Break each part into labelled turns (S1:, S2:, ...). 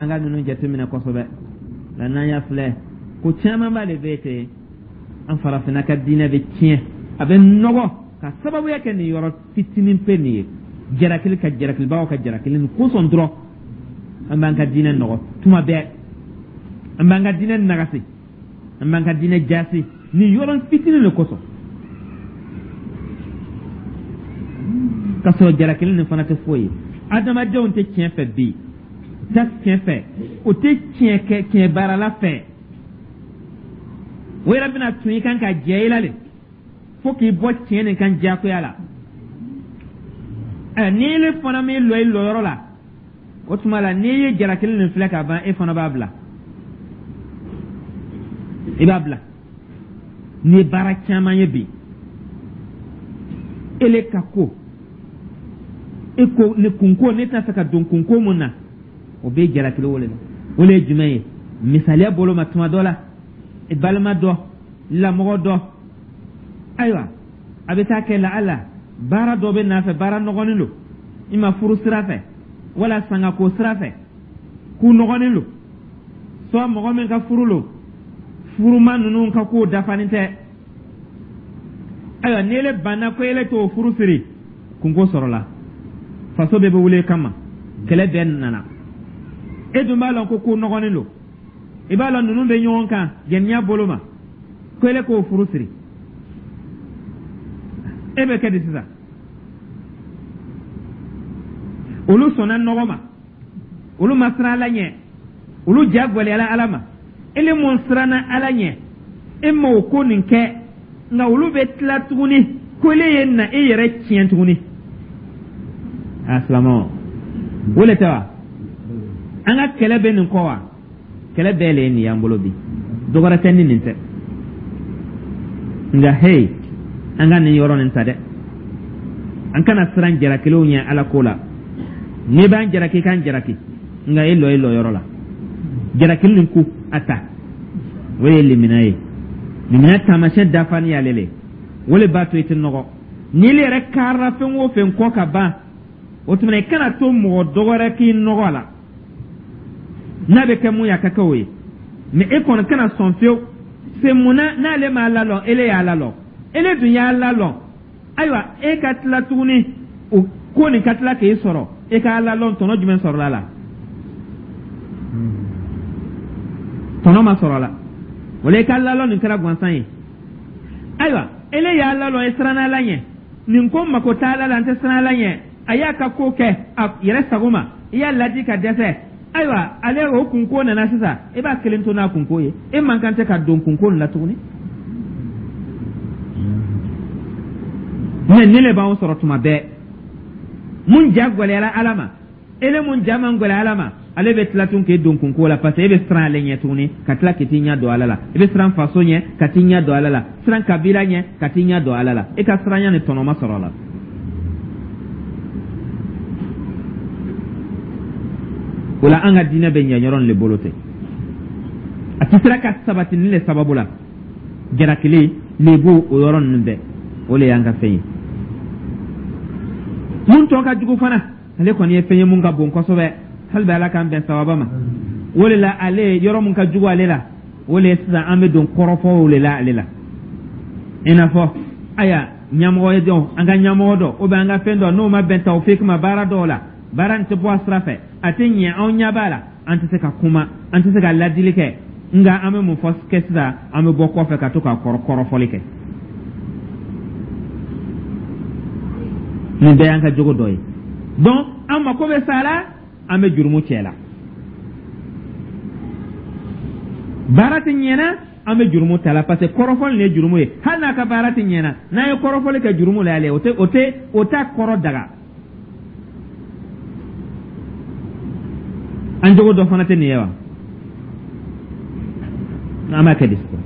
S1: An ka ninnu jateminɛ kosɛbɛ nka n'an y'a filɛ, ko camanba de bɛ ten. An farafinna ka diinɛ bɛ tiɲɛ, a bɛ nɔgɔ ka sababuya kɛ nin yɔrɔ fitinin pe nin ye, jarakili ka jarakilibagaw ka jarakili nin kosɔn dɔrɔn. An b'an ka diinɛ nɔgɔ tuma bɛɛ, an b'an ka diinɛ nagasi, an b'an ka diinɛ jasi nin yɔrɔ fitinin de kosɔn, k'a sɔrɔ jarakili nin fana tɛ foyi ye. Adamadenw tɛ tiɲɛ fɛ bi, u tɛ tiɲɛ fɛ, u tɛ tiɲɛ kɛ tiɲɛ baarala fɛ. O yɛrɛ bɛna tun i kan ka jɛ i la de fo k'i bɔ tiɲɛ nin kan diyagoya la. Ɛ, n'i le fana m'i lɔ i lɔyɔrɔ la, o tuma la n'i ye jalakili nin filɛ ka ban, e fana b'a bila, i b'a bila. N'i ye baara caman ye bi, ele ka ko e ko ni kunko ne t'a fɛ ka don kunko mun na, o bɛ jalakili o le la. O le ye jumɛn ye? Misaliya bolo ma, tuma dɔ la i balima dɔ, lamɔgɔ dɔ, ayiwa, a bɛ taa kɛ la ala baara dɔ bɛ n'a fɛ, baara nɔgɔnin don i ma, furu sira fɛ wala sangako sira fɛ, k'u nɔgɔnin don sɔ mɔgɔ min ka furu lo, furuma ninnu ka kow dafanin tɛ. Ayiwa, n'ele banna ko ele t'o furu siri, kunko sɔrɔla, faso bɛɛ bɛ wuli kama, kɛlɛ bɛɛ nana. E dun b'a lɔn ko ko nɔgɔnin don, i b'a lɔn ninnu bɛ ɲɔgɔn kan jɛniya bolo ma, ko ele k'o furu siri, e bɛ kɛ di sisan? Olu sɔnna nɔgɔ ma, olu ma siran ala ɲɛ, olu ja gwɛlɛyala ala ma. Ele mun siranna ala ɲɛ, e ma o ko nin kɛ, nka olu bɛ tila tuguni ko ele ye na e yɛrɛ tiɲɛ tuguni. A silamɛw, o le tɛ wa? An ka kɛlɛ bɛ nin kɔ wa? Kɛlɛ bɛɛ le ye nin y'an bolo bi, dɔ wɛrɛ tɛ ni nin tɛ. Nka hey, an ka nin yɔrɔ nin ta dɛ, an kana siran jarakilenw ɲɛ ala ko la. N'i b'an jaraki, k'an jaraki, nka e lɔ e lɔyɔrɔ la. Jarakili nin ku a ta, o ye limina ye. Limina taamasiyɛn dafani y'ale le, o le b'a to i tɛ nɔgɔ. N'i yɛrɛ karila fɛn o fɛn kɔ ka ban, o tuma i kana to mɔgɔ dɔ wɛrɛ k'i nɔgɔ a la. N'a bɛ kɛ mun ye, a ka kɛ o ye, mɛ e kɔni kana sɔn fiyewu. Se mun na n'ale m'a lalɔ, ele y'a lalɔ, ele dun y'a lalɔ. Ayiwa, e ka tila tuguni o ko nin ka tila k'e sɔrɔ, e k'a lalɔ, tɔnɔ jumɛn sɔrɔla la? Tɔnɔ ma sɔrɔ a la. Wala i ka lalɔ nin kɛra gansan ye. Ayiwa, ele y'a lalɔ, e siranna ala ɲɛ, nin ko mako t'a la, n tɛ siran ala ɲɛ, a y'a ka ko kɛ a yɛrɛ sago ma, i y'a ladi ka dɛsɛ. Ayiwa, ale o kunko nana sisan, i b'a kelen to n'a kunko ye, e man kan tɛ ka don kunko nin la tuguni. Mɛ nin le b'anw sɔrɔ tuma bɛɛ. Mun ja gwɛlɛyara ala ma, ele mun ja man gwɛlɛ ala ma, ale bɛ tila tun k'e don kunko la, parce que e bɛ siran ale ɲɛ tuguni ka tila k'i t'i ɲɛ don ala la. I bɛ siran faso ɲɛ ka t'i ɲɛ don ala la, siran kabila ɲɛ ka t'i ɲɛ don ala la. E ka siranya ni tɔnɔ ma sɔrɔ a la. O la an ka diinɛ bɛ ɲɛ yɔrɔ le bolo tɛ, a tɛ sera ka sabati nin le sababu la. Jarakili lebu, o yɔrɔ ninnu bɛɛ, o le y'an ka fɛn ye. Mun tɔ ka jugu fana, ale kɔni ye fɛn ye mun ka bon kosɛbɛ, hali bɛ ala k'an bɛn sawaba ma. O le la ale yɔrɔ mun ka jugu ale la, o le ye sisan an bɛ don kɔrɔfɔw le la ale la. I n'a fɔ aya ɲɛmɔgɔ ye dɔn, an ka ɲɛmɔgɔ dɔ ou bien an ka fɛn dɔ, n'o ma bɛn tawfik ma baara dɔw la, baara nin tɛ bɔ a sira fɛ, a tɛ ɲɛ, anw ɲɛ b'a la, an tɛ se ka kuma, an tɛ se ka ladili kɛ. Nka an bɛ mun fɔ kɛ sisan? An bɛ bɔ kɔfɛ ka to ka kɔrɔfɔli kɛ. Nin bɛɛ y'an ka jogo dɔ ye. Donc an mako bɛ sa la, an bɛ jurumu cɛ la, baara tɛ ɲɛna, an bɛ jurumu ta la, parce que kɔrɔfɔli nin ye jurumu ye. Hali n'a ka baara tɛ ɲɛna, n'an ye kɔrɔfɔli kɛ jurumu la y'ale, o tɛ o tɛ o t'a kɔrɔ daga. An jogo dɔ fana tɛ nin ye wa? An b'a kɛ di sisan?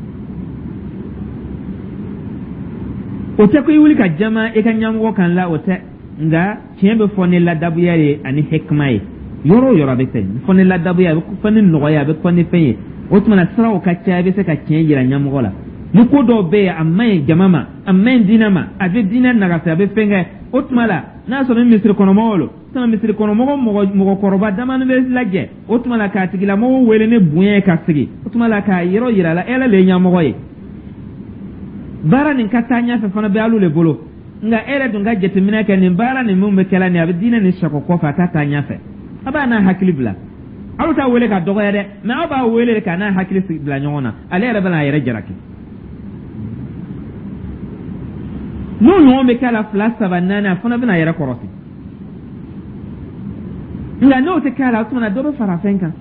S1: O tɛ ko i wuli ka jama i ka ɲɛmɔgɔ kan la, o tɛ. Nka tiɲɛ bɛ fɔ ni ladabuya ye ani hikima ye. Yɔrɔ o yɔrɔ a bɛ fɛn fɔ ni ladabuya, a bɛ fɔ ni nɔgɔya, a bɛ fɔ ni fɛn ye. O tuma na siraw ka ca, i bɛ se ka tiɲɛ yira ɲɛmɔgɔ la. Ni ko dɔw bɛ yen, a man ɲi jama ma, a man ɲi diinɛ ma, a bɛ diinɛ nagasi, a bɛ fɛn kɛ, o tuma la n'a sɔrɔ ni misiri kɔnɔmɔgɔw lo. Tuma misiri kɔnɔ mɔgɔ mɔgɔkɔrɔba damani bɛ lajɛ, o tuma la k'a tigilamɔgɔw wele ni bonya ye ka sigi, o tuma la k'a yɔrɔ yira la, e le ye ɲɛmɔgɔ ye, baara nin ka taa ɲɛfɛ fana bɛ alu le bolo. Nka e yɛrɛ dun ka jateminɛ kɛ, nin baara nin min bɛ kɛla nin, a bɛ diinɛ nin sɔgɔ kɔfɛ, a t'a taa ɲɛfɛ. A b'a n'a hakili bila, aw t'a wele ka dɔgɔya dɛ, mɛ aw b'a wele de k'a n'a hakili bila ɲɔgɔn na, ale yɛrɛ bɛna a yɛrɛ jalaki. N'o ɲɔgɔn bɛ k'a la fila, saba, naani, a fana bɛna a yɛrɛ kɔrɔsi. Nka n'o tɛ k'a la, o tuma na dɔ bɛ fara fɛn kan.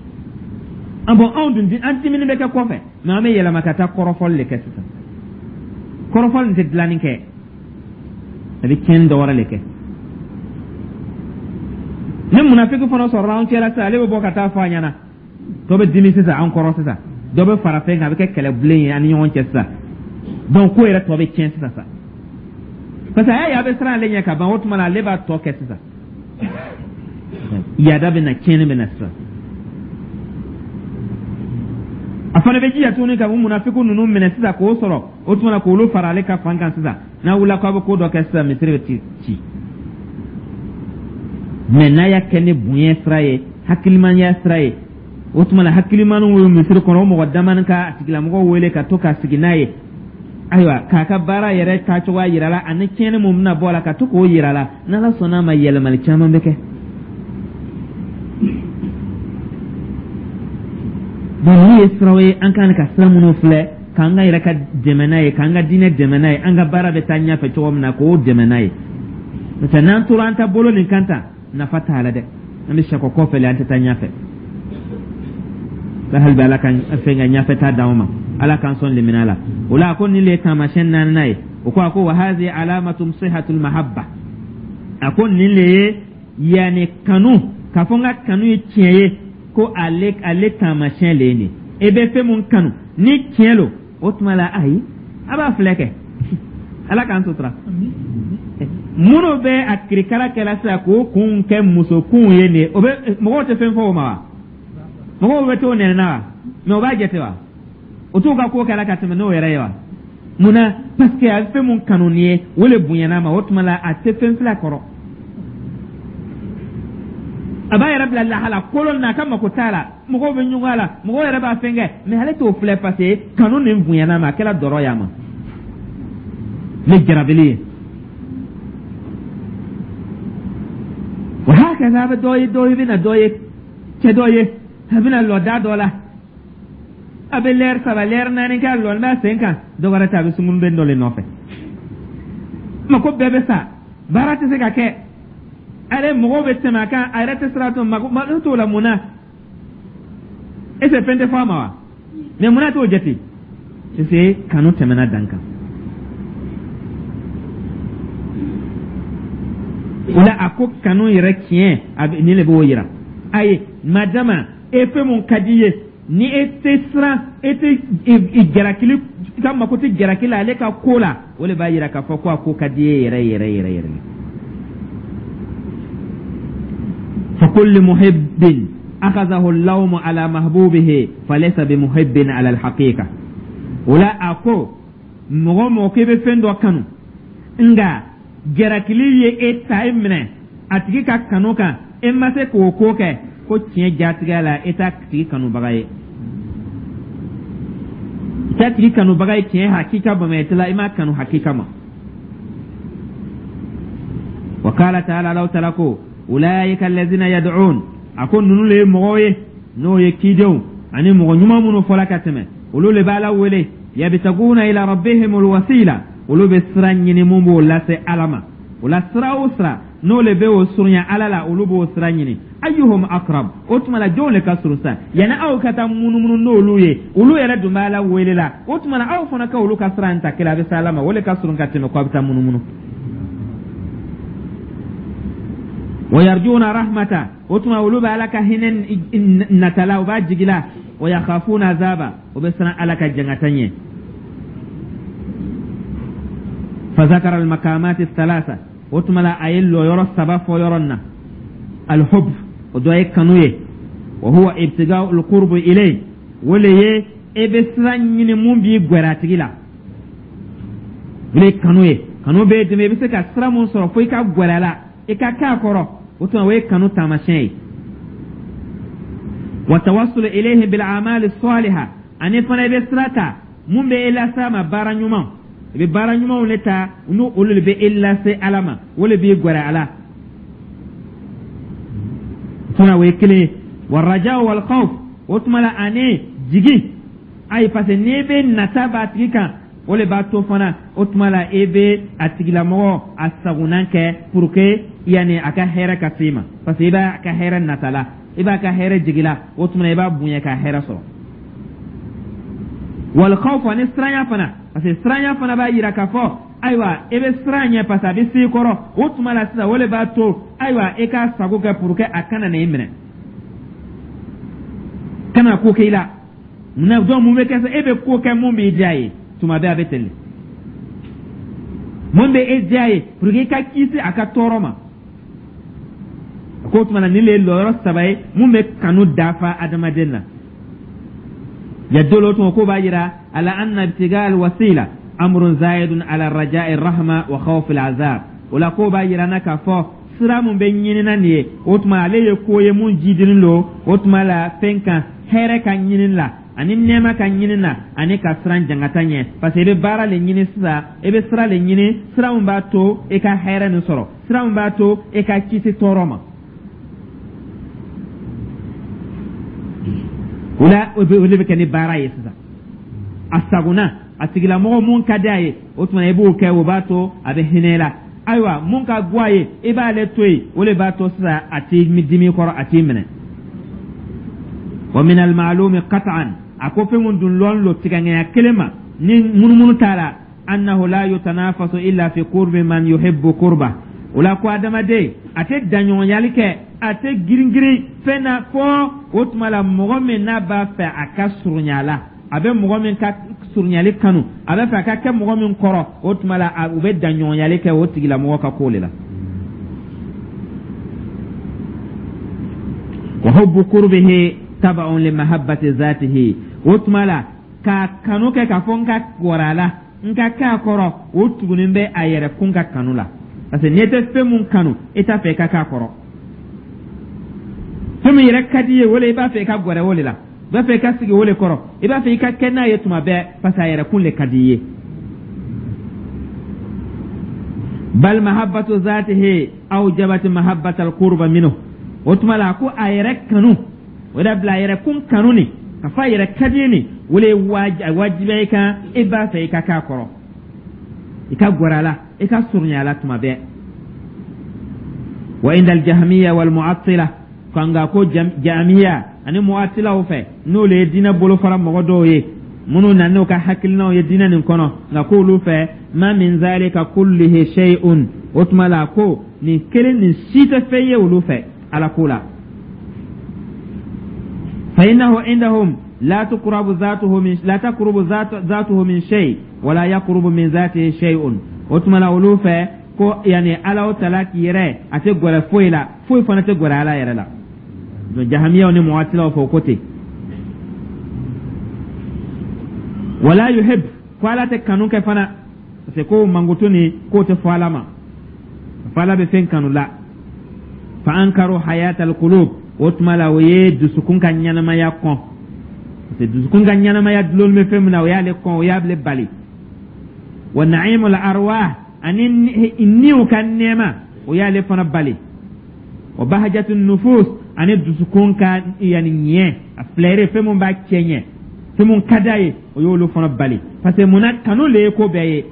S1: An bɔn, anw dun, an dimini bɛ kɛ kɔfɛ, mɛ an bɛ yɛlɛma ka taa kɔrɔfɔli de kɛ sisan. Kɔrɔfɔli nin tɛ dilanni kɛ, a bɛ tiɲɛni dɔ wɛrɛ de kɛ. Ni munafiki fana sɔrɔla an cɛla sisan, ale bɛ bɔ ka taa fɔ a ɲɛna, dɔ bɛ dimi sisan an kɔrɔ sisan, dɔ bɛ fara fɛn kan, a bɛ kɛ kɛlɛbilen ye an ni ɲɔgɔn cɛ sisan. Donc ko yɛrɛ tɔ bɛ tiɲɛ sisan sa, parce que a y'a ye a bɛ siran ale ɲɛ ka ban, o tuma na ale b'a tɔ kɛ sisan, yaada bɛ na, tiɲɛni bɛ na sisan. A fana bɛ jija tuguni ka munafiku ninnu minɛ sisan k'o sɔrɔ, o tuma na k'olu fara ale ka fan kan sisan. N'a wulila k'a bɛ ko dɔ kɛ sisan, misiri bɛ ci ci. Mɛ n'a y'a kɛ ni bonya sira ye, hakilimanya sira ye, o tuma na hakilimaniw ye misiri kɔnɔ, o mɔgɔ damani ka a tigilamɔgɔ wele ka to ka sigi n'a ye, ayiwa, k'a ka baara yɛrɛ taacogoya yira la, ani tiɲɛni mun bɛna bɔ a la, ka to k'o yira la, n'Ala sɔnna a ma, yɛlɛmali caman bɛ kɛ. Donc ninnu ye siraw ye an kan ka sira minnu filɛ k'an ka yɛrɛ ka dɛmɛ n'a ye, k'an ka diinɛ dɛmɛ n'a ye, an ka baara bɛ taa ɲɛfɛ cogo min na, k'o dɛmɛ n'a ye. N'o tɛ, n'an tora an ta bolo nin kan tan, nafa t'a la dɛ, an bɛ sɛkɔ kɔfɛ le, an tɛ taa ɲɛfɛ. Hali bi Ala ka fɛn ka ɲɛfɛ taa d'anw ma, Ala k'an sɔn limina la. O la, a ko nin le ye taamasiyɛn naaninan ye. O ko, a ko: wa hazi alamatu sihatul mahabba. A ko nin le ye yanni kanu, k'a fɔ n ka kanu ye tiɲɛ ye, ko ale taamasiyɛn le ye nin. E bɛ fɛn mun kanu ni tiɲɛ lo, o tuma la ayi, a b'a filɛ kɛ, Ala k'an sutura. Minnu bɛ a kirikara kɛla sisan k'o kun kɛ musokunw ye nin ye, o bɛ mɔgɔw tɛ fɛn fɔ o ma wa? Mɔgɔw bɛ t'o nɛnɛ na wa? Mɛ o b'a jate wa? O t'u ka ko kɛla ka tɛmɛ n'o yɛrɛ ye wa? Mun na? Parce que a bɛ fɛn mun kanu nin ye, o le bonyana ma, o tuma la a tɛ fɛn filɛ kɔrɔ, a b'a yɛrɛ bila lahala kolon na, a ka mako t'a la, mɔgɔw bɛ ɲugun a la, mɔgɔw yɛrɛ b'a fɛn kɛ, mɛ ale t'o filɛ, parce que kanu nin bonyana ma, a kɛra dɔrɔ y'a ma ne jarabili ye. Wa hakaza, a bɛ dɔ ye, dɔ ye bɛna dɔ ye, cɛ dɔ ye, a bɛna lɔ da dɔ la, a bɛ lɛri 3, lɛri 4 kɛ, a lɔlen b'a sen kan, dɔ wɛrɛ tɛ, a bɛ sunkurunden dɔ le nɔfɛ. Mako bɛɛ bɛ sa, baara tɛ se ka kɛ, ale mɔgɔw bɛ tɛmɛ a kan, a yɛrɛ tɛ sira to, mako mako t'o la. Mun na? Est ce que fɛn tɛ fɔ a ma wa? Mɛ mun na t'o jate? Parce que kanu tɛmɛna dan kan. O la, a ko kanu yɛrɛ tiɲɛ, a bɛ nin de b'o yira. Ayi, madama e fɛn mun ka di i ye, ni e tɛ siran, e tɛ jalakili, i ka mako tɛ jalaki la ale ka ko la, o de b'a yira k'a fɔ ko a ko ka di e yɛrɛ yɛrɛ yɛrɛ yɛrɛ. Fa kullu muhibbin akhadhahu al-lawmu ala mahbubihi falaysa bimuhibbin ala al-haqiqa. O la, a ko mɔgɔ mɔgɔ k'e bɛ fɛn dɔ kanu, nka jarakili ye e ta, e minɛ a tigi ka kanu kan, e ma se k'o ko kɛ, ko tiɲɛ jatigɛ la, e t'a tigi kanubaga ye, i t'a tigi kanubaga ye tiɲɛ hakika bamayɛti la, i m'a kanu hakika ma. Wa qala ta'ala, Alahu ta'ala ko: ulaika allazina yad'un. A ko ninnu le ye mɔgɔw ye, n'o ye cidenw ani mɔgɔ ɲuman minnu fɔla ka tɛmɛ, olu le b'Ala wele. Yabtaguna ila rabbihimul wasila. Olu bɛ sira ɲini mun b'o lase Ala ma. O la, sira o sira n'o le bɛ o surunya Ala la, olu b'o sira ɲini. Ayyuhum aqrab. O tuma la, jɔnw le ka surun sa? Yanni aw ka taa munumunu n'olu ye, olu yɛrɛ dun b'Ala wele la, o tuma la aw fana ka olu ka sira in ta kelen, a bɛ se Ala ma, o le ka surun ka tɛmɛ ko a bɛ taa munumunu. Wa yarjuna rahmata. O tuma olu bɛ Ala ka hinɛ natala, u b'a jigila. Wa yakhafuna azaba. O bɛ siran Ala ka jangata ɲɛ. Fa zakara al maqamat thalatha. O tuma la, a ye lɔyɔrɔ saba fɔ yɔrɔ na. Alhub, o dɔ ye kanu ye. Wa huwa ibtiga'u alqurb ilay. O le ye e bɛ sira ɲini mun b'i gwɛrɛ a tigi la, o le ye kanu ye. Kanu b'e dɛmɛ, i bɛ se ka sira mun sɔrɔ fo i ka gwɛrɛ a la, i ka k'a kɔrɔ. O tuma, o ye kanu taamasiyɛn ye. Wa tawassulu ilayhi bil a'mali saliha, ani fana i bɛ sira ta mun bɛ e lase a ma, baara ɲuman. I bɛ baara ɲumanw de ta, n'o olu de bɛ e lase Ala ma, o de b'i gɛrɛ a la. Tuma, o ye kelen ye. Wa raja wal khawf, o tuma la ani jigi. Ayi, parce que n'i bɛ nata b'a tigi kan, o de b'a to fana, o tuma la, i bɛ a tigilamɔgɔ a sagonan kɛ pour que yanni a ka hɛrɛ ka s'i ma, parce que i b'a ka hɛrɛ nata la, i b'a ka hɛrɛ jigi la. O tuma na, i b'a bonya ka hɛrɛ sɔrɔ. Wal khawf, ani siranya fana, parce que siranya fana b'a yira k'a fɔ, ayiwa, i bɛ siran ɲɛ, parce que a bɛ s'i kɔrɔ. O tuma la sisan, o de b'a to, ayiwa, i k'a sago kɛ pour que a kana na i minɛ, kana ko kɛ i la. Munna? Donc mun bɛ kɛ sa? E bɛ ko kɛ mun b'i diya ye tuma bɛɛ, a bɛ ten de. Mun bɛ e diya ye pour que i ka kisi a ka tɔɔrɔ ma? A ko o tuma na, nin de ye lɔyɔrɔ saba ye mun bɛ kanu dafa adamaden na. Yadulu, o tuma k'o b'a yira, ala anna ibtiga alwasila amrun zayidun ala raja'i rahma wa khawfi al'azab. O la, k'o b'a yira na k'a fɔ sira mun bɛ ɲinina nin ye, o tuma ale ye ko ye mun jidinin don, o tuma la, fɛn kan hɛrɛ ka ɲini la, ani nɛɛma ka ɲini na, ani ka siran jangata ɲɛ, parce que i bɛ baara le ɲini sisan, i bɛ sira le ɲini, sira min b'a to i ka hɛrɛ nin sɔrɔ, sira min b'a to i ka kisi tɔɔrɔ ma. O la, o de bɛ kɛ ni baara ye sisan. A sagona a tigilamɔgɔ mun ka di a ye, o tuma i b'o kɛ, o b'a to a bɛ hinɛ la. Ayiwa, mun ka go a ye, i b'ale to yen, o de b'a to sisan a t'i dimi kɔrɔ, a t'i minɛ. Wa min al-ma'lumi qat'an, a ko fɛn mun dun lɔn lo tigɛŋɛya kelen ma ni munumunu t'a la, annahu la yutanafasu illa fi qurbi man yuhibbu qurba. O la, ko adamaden a tɛ daɲɔgɔnyali kɛ, a tɛ girin-girin fɛn na fɔ, o tuma la, mɔgɔ min n'a b'a fɛ a ka surunya la, a bɛ mɔgɔ min ka surunyali kanu, a bɛ fɛ a ka kɛ mɔgɔ min kɔrɔ, o tuma la, u bɛ daɲɔgɔnyali kɛ o tigilamɔgɔ ka ko de la. Wa hubbu qurbihi taba'un li mahabbati zatihi. O tuma la, k'a kanu kɛ k'a fɔ n ka gɛrɛ a la, n ka k'a kɔrɔ, o tugunin bɛ a yɛrɛ kun ka kanu la, parce que n'i tɛ fɛn mun kanu, i t'a fɛ i ka k'a kɔrɔ. Fɛn min yɛrɛ ka di i ye, o le i b'a fɛ i ka gɛrɛ o de la, i b'a fɛ i ka sigi o de kɔrɔ, i b'a fɛ i ka kɛ n'a ye tuma bɛɛ, parce que a yɛrɛ kun le ka di i ye. Bal mahabbatu zatihi awjabat mahabbat alqurba minhu. O tuma la, ko a yɛrɛ kanu, o de bila a yɛrɛ kun kanu ni ka fɔ a yɛrɛ ka di ni, o le ye wajibiya i kan, i b'a fɛ i ka k'a kɔrɔ, i ka gɛrɛ a la, i ka surunya a la tuma bɛɛ. Wa inda aljahmiya wal mu'attila, nka ko jamiya ani mu'attilaw fɛ, n'olu ye diinɛ bolofara mɔgɔ dɔw ye minnu na n'u ka hakilinaw ye diinɛ nin kɔnɔ, nka k'olu fɛ, ma min zalika kullihi shay'un. O tuma la, ko nin kelen nin si tɛ fɛn ye olu fɛ Ala ko la. Fa innahu indahum la tuqrabu zatuhu min la taqrubu zatuhu min shay wala yaqrubu min zatihi shay'un. O tuma la, olu fɛ ko yani Ala o tala k'i yɛrɛ, a tɛ gɛrɛ foyi la, foyi fana tɛ gɛrɛ Ala yɛrɛ la. Donc jahamiyaw ni muwatilaw fɛ, o ko ten. Wala yuhib, ko Ala tɛ kanu kɛ fana, parce que ko mankutu ni k'o tɛ fɔ Ala ma, fo Ala bɛ fɛn kanu la. Fa ankaru hayatal qulub, o tuma la, o ye dusukun ka ɲɛnamaya kɔn, parce que dusukun ka ɲɛnamaya dulon bɛ fɛn min na, o y'ale kɔn, o y'ale bali. Wa na'imul arwah, ani niw ka nɛɛma, o y'ale fana bali. Wa bahajatun nufus, ani dusukun ka yani ɲɛ a filɛre, fɛn mun b'a cɛ ɲɛ, fɛn mun ka d'a ye, o y'olu fana bali, parce que munna? Kanu le ye ko bɛɛ ye.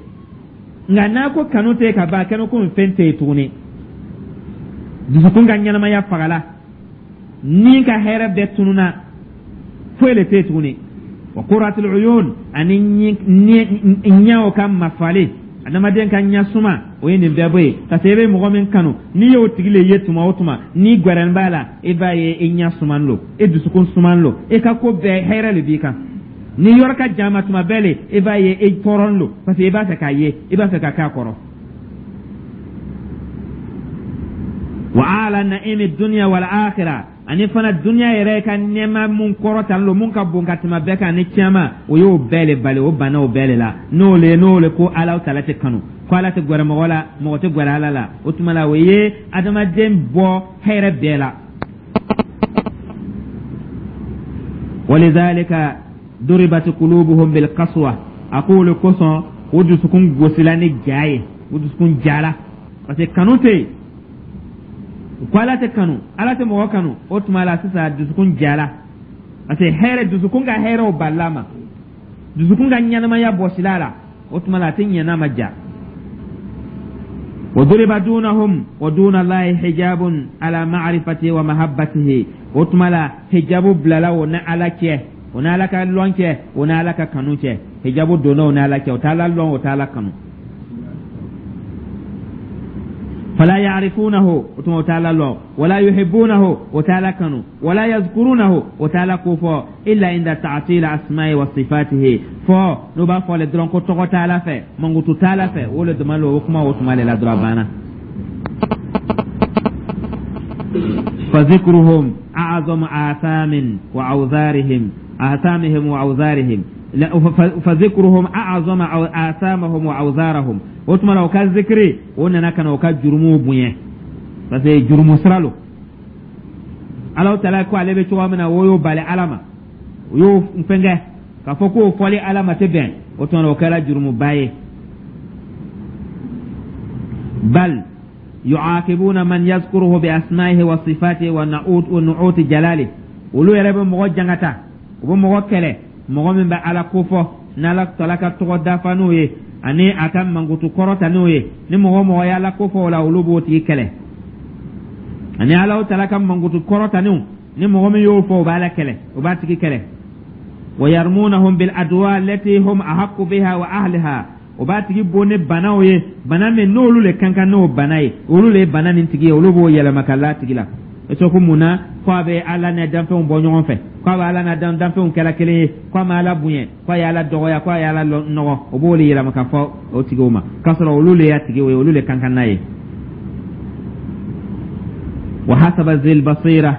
S1: Nka n'a ko kanu tɛ ka ban, a kɛnɛ ko fɛn tɛ yen tuguni. Dusukun ka ɲɛnamaya fagala, ni ka hɛrɛ bɛɛ tununa, foyi le tɛ yen tuguni. Wa qurratul uyun, ani ɲɛw ka mafali, adamaden ka ɲɛ suma, o ye nin bɛɛ bɔ yen, parce que i bɛ mɔgɔ min kanu, n'i y'o tigi le ye tuma o tuma, n'i gwɛrɛn b'a la, i b'a ye i ɲɛ suman lo, i dusukun suman lo, i ka ko bɛɛ hɛrɛ le b'i kan. Ni yɔrɔ ka jan ma tuma bɛɛ le, i b'a ye i tɔɔrɔn lo, parce que i b'a fɛ k'a ye, i b'a fɛ ka k'a kɔrɔ. Wa ala na'imi dunya wal akhirah, ani fana dunya yɛrɛ ka nɛɛma mun kɔrɔtalen lo, mun ka bon ka tɛmɛ bɛɛ kan, ni caman, o y'o bɛɛ le bali, o banna o bɛɛ le la. N'o le ko Ala tala tɛ kanu. Ko Ala tɛ gwɛrɛ mɔgɔ la, mɔgɔ tɛ gwɛrɛ Ala la. O tuma la, o ye adamaden bɔ hɛrɛ bɛɛ la. Walidhalika duribat qulubuhum bil qaswa. A ko o le kosɔn o dusukun gosila ni ja ye, o dusukun jala, parce que kanu tɛ yen. Ko Ala tɛ kanu, Ala tɛ mɔgɔ kanu. O tuma la sisan, dusukun jala, parce que hɛrɛ, dusukun ka hɛrɛw balila ma, dusukun ka ɲɛnamaya bɔsila la. O tuma la, a tɛ ɲɛ n'a ma ja. Wa duriba dunahum wa duna Allahi hijabun ala ma'rifatihi wa mahabbatihi. O tuma la, hijabu bilala o ni Ala cɛ, o ni Ala ka lɔn cɛ, o ni Ala ka kanu cɛ. Hijabu donna o ni Ala cɛ, o t'Ala lɔn, o t'Ala kanu. Fala ya'rifunahu, o tuma o t'Ala lɔn, wala yuhibbunahu, o t'Ala kanu, wala yazkurunahu, o t'Ala kofɔ, illa inda ta'til asma'i wa sifatihi. Fɔ n'o b'a fɔ le dɔrɔn ko tɔgɔ t'Ala fɛ, mankutu t'Ala fɛ, o le dama o kuma, o tuma le la dɔrɔn, a banna. Fa zikruhum a'zamu athamin wa awzarihim athamihim wa awzarihim. Fa zikruhum a'zama athamahum wa awzarahum. O tuma la, o ka zikiri o nana ka na o ka jurumuw bonya, parce que jurumu sira lo. Ala taala ko ale bɛ cogoya min na, o y'o bali Ala ma, o y'o fɛnkɛ k'a fɔ k'o fɔli Ala ma tɛ bɛn. O tuma na, o kɛra jurumuba ye. Bal yu'aqibuna man yazkuruhu bi asma'ihi wa sifatihi wa na'ut wa nu'uti jalali. Olu yɛrɛ bɛ mɔgɔ jangata, u bɛ mɔgɔ kɛlɛ, mɔgɔ min bɛ Ala kofɔ n'Ala taala ka tɔgɔ dafa n'o ye ani a ka mankutu kɔrɔta n'o ye. Ni mɔgɔ mɔgɔ y'Ala kofɔ o la, olu b'o tigi kɛlɛ. Ani Ala taala ka mankutu kɔrɔta n'o, ni mɔgɔ min y'o fɔ, o b'Ala kɛlɛ, o b'a tigi kɛlɛ. Wa yarmunahum bil adwa allati hum ahaqqu biha wa ahliha. O b'a tigi bon ni banaw ye, bana min n'olu le kan kan n'o bana ye, olu le ye bana nin tigi ye, olu b'o yɛlɛma ka l'a tigi la. E ko mun na ko a bɛ Ala n'a danfɛnw bɔ ɲɔgɔn fɛ, ko a bɛ Ala n'a danfɛnw kɛra kelen ye, ko a ma Ala bonya, ko a ye Ala dɔgɔya, ko a ye Ala nɔgɔ? O b'o le yɛlɛma ka fɔ o tigiw ma, k'a sɔrɔ olu le y'a tigiw ye, olu le kan kan n'a ye. Wa hasaba zil basira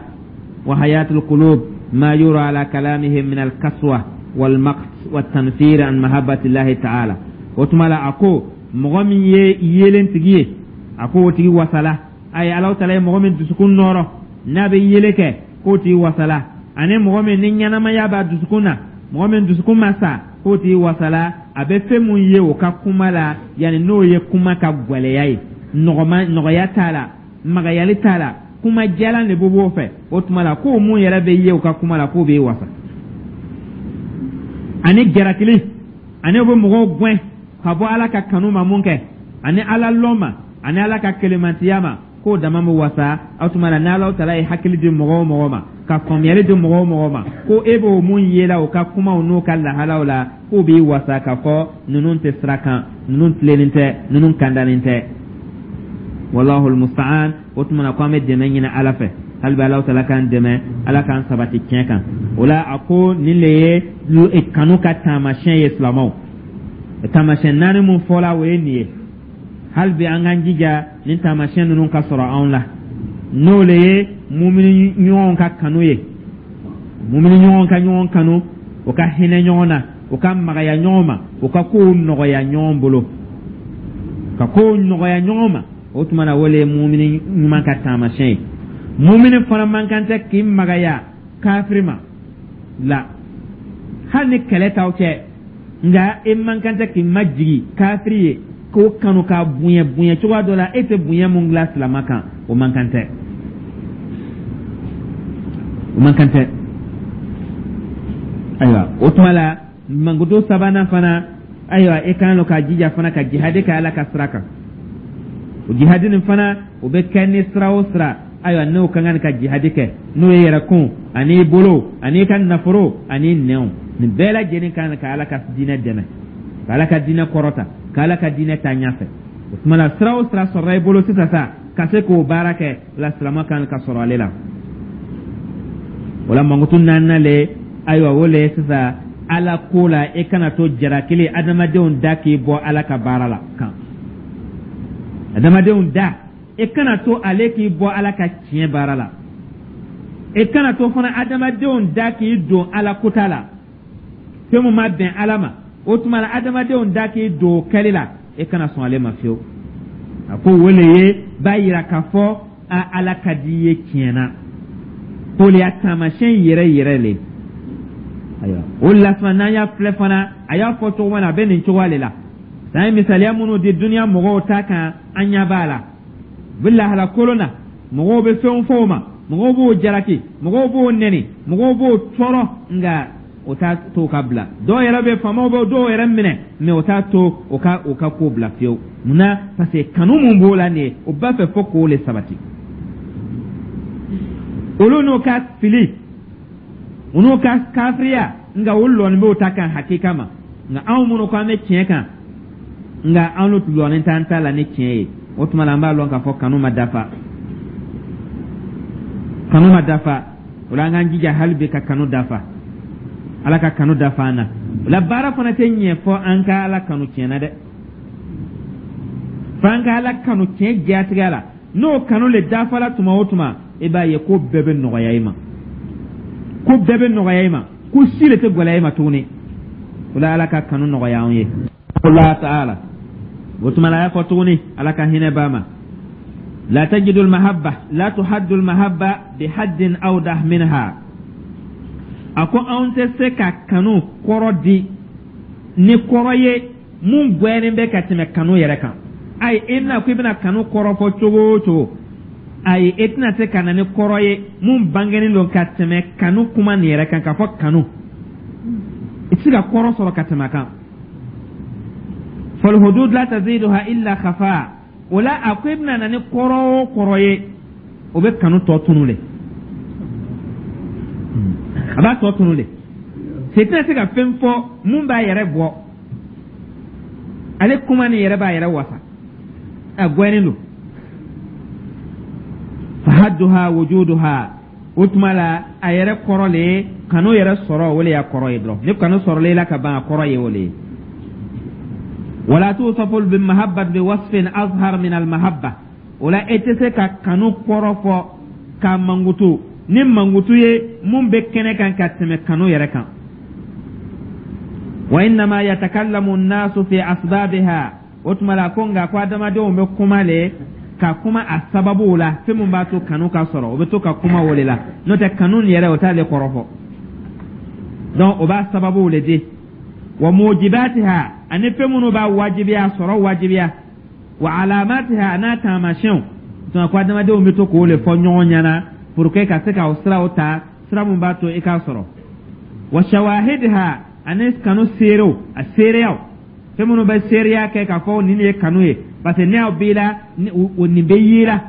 S1: wa hayatul qulub ma yura ala kalamihim min al kaswa wal maqt wat tanfir an mahabbati llahi ta'ala. O tuma la, a ko mɔgɔ min ye yeelen tigi ye, a ko o tigi wasala. A ye Ala taala ye mɔgɔ min dusukun nɔrɔ n'a bɛ yele kɛ, k'o tigi wasala. Ani mɔgɔ min ni ɲɛnamaya b'a dusukun na, mɔgɔ min dusukun ma sa, k'o tigi wasala. A bɛ fɛn mun ye o ka kuma la, yanni n'o ye kuma ka gwɛlɛya ye, nɔgɔya t'a la, magayali t'a la, kuma jalan de bɛ b'o fɛ. O tuma la, k'o mun yɛrɛ bɛ ye o ka kuma la, k'o b'e wasa. Ani jarakili, ani o bɛ mɔgɔw gɛn ka bɔ Ala ka kanu ma mun kɛ, ani Ala lɔn ma, ani Ala ka kelemantiya ma, k'o dama bɛ wasa. O tuma la, n'Ala taala ye hakili di mɔgɔ o mɔgɔ ma, ka faamuyali di mɔgɔ o mɔgɔ ma, ko e b'o mun ye la o ka kumaw n'o ka lahalaw la, k'o b'i wasa k'a fɔ ninnu tɛ sira kan, ninnu tilennen tɛ, ninnu kandanen tɛ. Wallahu almusta'an. O tuma na, ko an bɛ dɛmɛ ɲini Ala fɛ hali bi, Ala taala k'an dɛmɛ, Ala k'an sabati tiɲɛ kan. O la, a ko nin le ye kanu ka taamasiyɛn ye. Silamɛw, taamasiyɛn naani mun fɔla, o ye nin ye. Hali bi an k'an jija nin taamasiyɛn ninnu ka sɔrɔ anw la, n'o le ye mumini ɲɔgɔn ka kanu ye, mumini ɲɔgɔn ka ɲɔgɔn kanu, o ka hinɛ ɲɔgɔn na, o ka magaya ɲɔgɔn ma, o ka kow nɔgɔya ɲɔgɔn bolo, ka kow nɔgɔya ɲɔgɔn ma. O tuma na, o le ye mumini ɲuman ka taamasiyɛn ye. Mumini fana man kan tɛ k'i magaya kafiri ma la, hali ni kɛlɛ t'aw cɛ, nka e man kan tɛ k'i majigi kafiri ye, k'o kanu k'a bonya bonya cogoya dɔ la e tɛ bonya mun dilan silama kan. O man kan tɛ, o man kan tɛ. Ayiwa, o tuma la, mankutu sabanan fana, ayiwa, e kan ka jija fana ka jihadi kɛ Ala ka sira kan. O jihadi nin fana, o bɛ kɛ ni sira o sira, ayiwa, n'o ka kan ka jihadi kɛ, n'o ye yɛrɛkun ani i bolo ani i ka nafolo ani nɛnw, nin bɛɛ lajɛlen kan ka Ala ka diinɛ dɛmɛ, ka Ala ka diinɛ kɔrɔta, ka Ala ka diinɛ taa ɲɛfɛ. O tuma la, sira o sira sɔrɔla i bolo sisan sa ka se k'o baara kɛ la, silama kan ka sɔrɔ ale la. O la, mankutu naaninan le, ayiwa, o le ye sisan Ala ko la, e kana to jarakili adamadenw da k'i bɔ Ala ka baara la kan. Adamadenw da, e kana to ale k'i bɔ Ala ka tiɲɛ baara la. E kana to fana adamadenw da k'i don Ala kota la, fɛn mun ma bɛn Ala ma. O tuma la, adamadenw da k'i don o kɛli la. E kana sɔn ale ma fiyewu. A ko o le ye b'a yira k'a fɔ a Ala ka di i ye tiɲɛ na, k'o le y'a taamasiyɛn yɛrɛ yɛrɛ le. Ayiwa, o la fana, n'an y'a filɛ fana, a y'a fɔ cogo min na, a bɛ nin cogoya le la. N'an ye misaliya minnu di duniya mɔgɔw ta kan, an ɲɛ b'a la, u bɛ lahala kolon na, mɔgɔw bɛ fɛnw fɔ o ma, mɔgɔw b'o jalaki, mɔgɔw b'o nɛni, mɔgɔw b'o tɔɔrɔ, nka o t'a to ka bila. Dɔw yɛrɛ bɛ, faamaw bɛ dɔw yɛrɛ minɛ, mais o t'a to o ka ko bila fiyewu. Mun na? Parce que kanu mun b'o la nin ye, o b'a fɛ fo k'o le sabati. Olu n'o ka fili, u n'u ka kafiriya, nka o lɔnni b'o ta kan hakika ma. Nka anw minnu ko an bɛ tiɲɛ kan, nka anw lɔnni t'an ta la ni tiɲɛ ye, o tuma la an b'a lɔn k'a fɔ kanu ma dafa, kanu ma dafa. O la, an k'an jija hali bi ka kanu dafa. Ala ka kanu dafa an na. O la, baara fana tɛ ɲɛ fɔ an ka Ala kanu tiɲɛ na dɛ, fo an ka Ala kanu tiɲɛ jatigɛ la. N'o kanu le dafala tuma o tuma, i b'a ye ko bɛɛ bɛ nɔgɔya i ma, ko bɛɛ bɛ nɔgɔya i ma, ko si de tɛ gɛlɛya i ma tuguni. O la, Ala ka kanu nɔgɔya anw ye. Allah taala, o tuma la, a y'a fɔ tuguni, Ala ka hinɛ b'a ma: لا تجد المحبة لا تحد المحبة بحد أوضح منها. A ko anw tɛ se ka kanu kɔrɔ di ni kɔrɔ ye mun gwɛnnen bɛ ka tɛmɛ kanu yɛrɛ kan. Ayi, i na ko i bɛna kanu kɔrɔ fɔ cogo o cogo, ayi, e tɛna se ka na ni kɔrɔ ye mun bangenen don ka tɛmɛ kanu kuma nin yɛrɛ kan. K'a fɔ kanu, i tɛ se ka kɔrɔ sɔrɔ ka tɛmɛ a kan. فالحدود لا تزيدها إلا خفاء. O la, a ko i bɛna na ni kɔrɔ o kɔrɔ ye, o bɛ kanu tɔ tunu le, a b'a tɔ tunu le. Se tɛna se ka fɛn fɔ mun b'a yɛrɛ bɔ. Ale kuma nin yɛrɛ b'a yɛrɛ wasa, a gwɛnnen don. فحدها وجودها. O tuma la, a yɛrɛ kɔrɔ le ye kanu yɛrɛ sɔrɔ, o le y'a kɔrɔ ye dɔrɔn. Ni kanu sɔrɔla i la ka ban, a kɔrɔ ye o le ye. ولا توصف بالمحبة بوصف أظهر من المحبة. O la, e tɛ se ka kanu kɔrɔ fɔ ka mankutu ni mankutu ye mun bɛ kɛnɛ kan ka tɛmɛ kanu yɛrɛ kan. وإنما يتكلم الناس في أسبابها. O tuma la, ko nka ko adamadenw bɛ kuma le ka kuma a sababuw la, fɛn mun b'a to kanu ka sɔrɔ, o bɛ to ka kuma o de la. N'o tɛ, kanu nin yɛrɛ, o t'ale kɔrɔ fɔ. Donc o b'a sababuw le di, وموجباتها, ani fɛn minnu b'a wajibiya, sɔrɔ wajibiya, وعلاماتها, n'a taamasiyɛnw. Tuma ko adamadenw bɛ to k'o le fɔ ɲɔgɔn ɲɛna pour que ka se ka o siraw ta, sira mun b'a to i k'a sɔrɔ, وشواهدها, ani kanu seerew, a seereyaw, fɛn minnu bɛ seereya kɛ k'a fɔ nin de ye kanu ye, parce que ne y'aw b'i la, nin bɛ y'i la,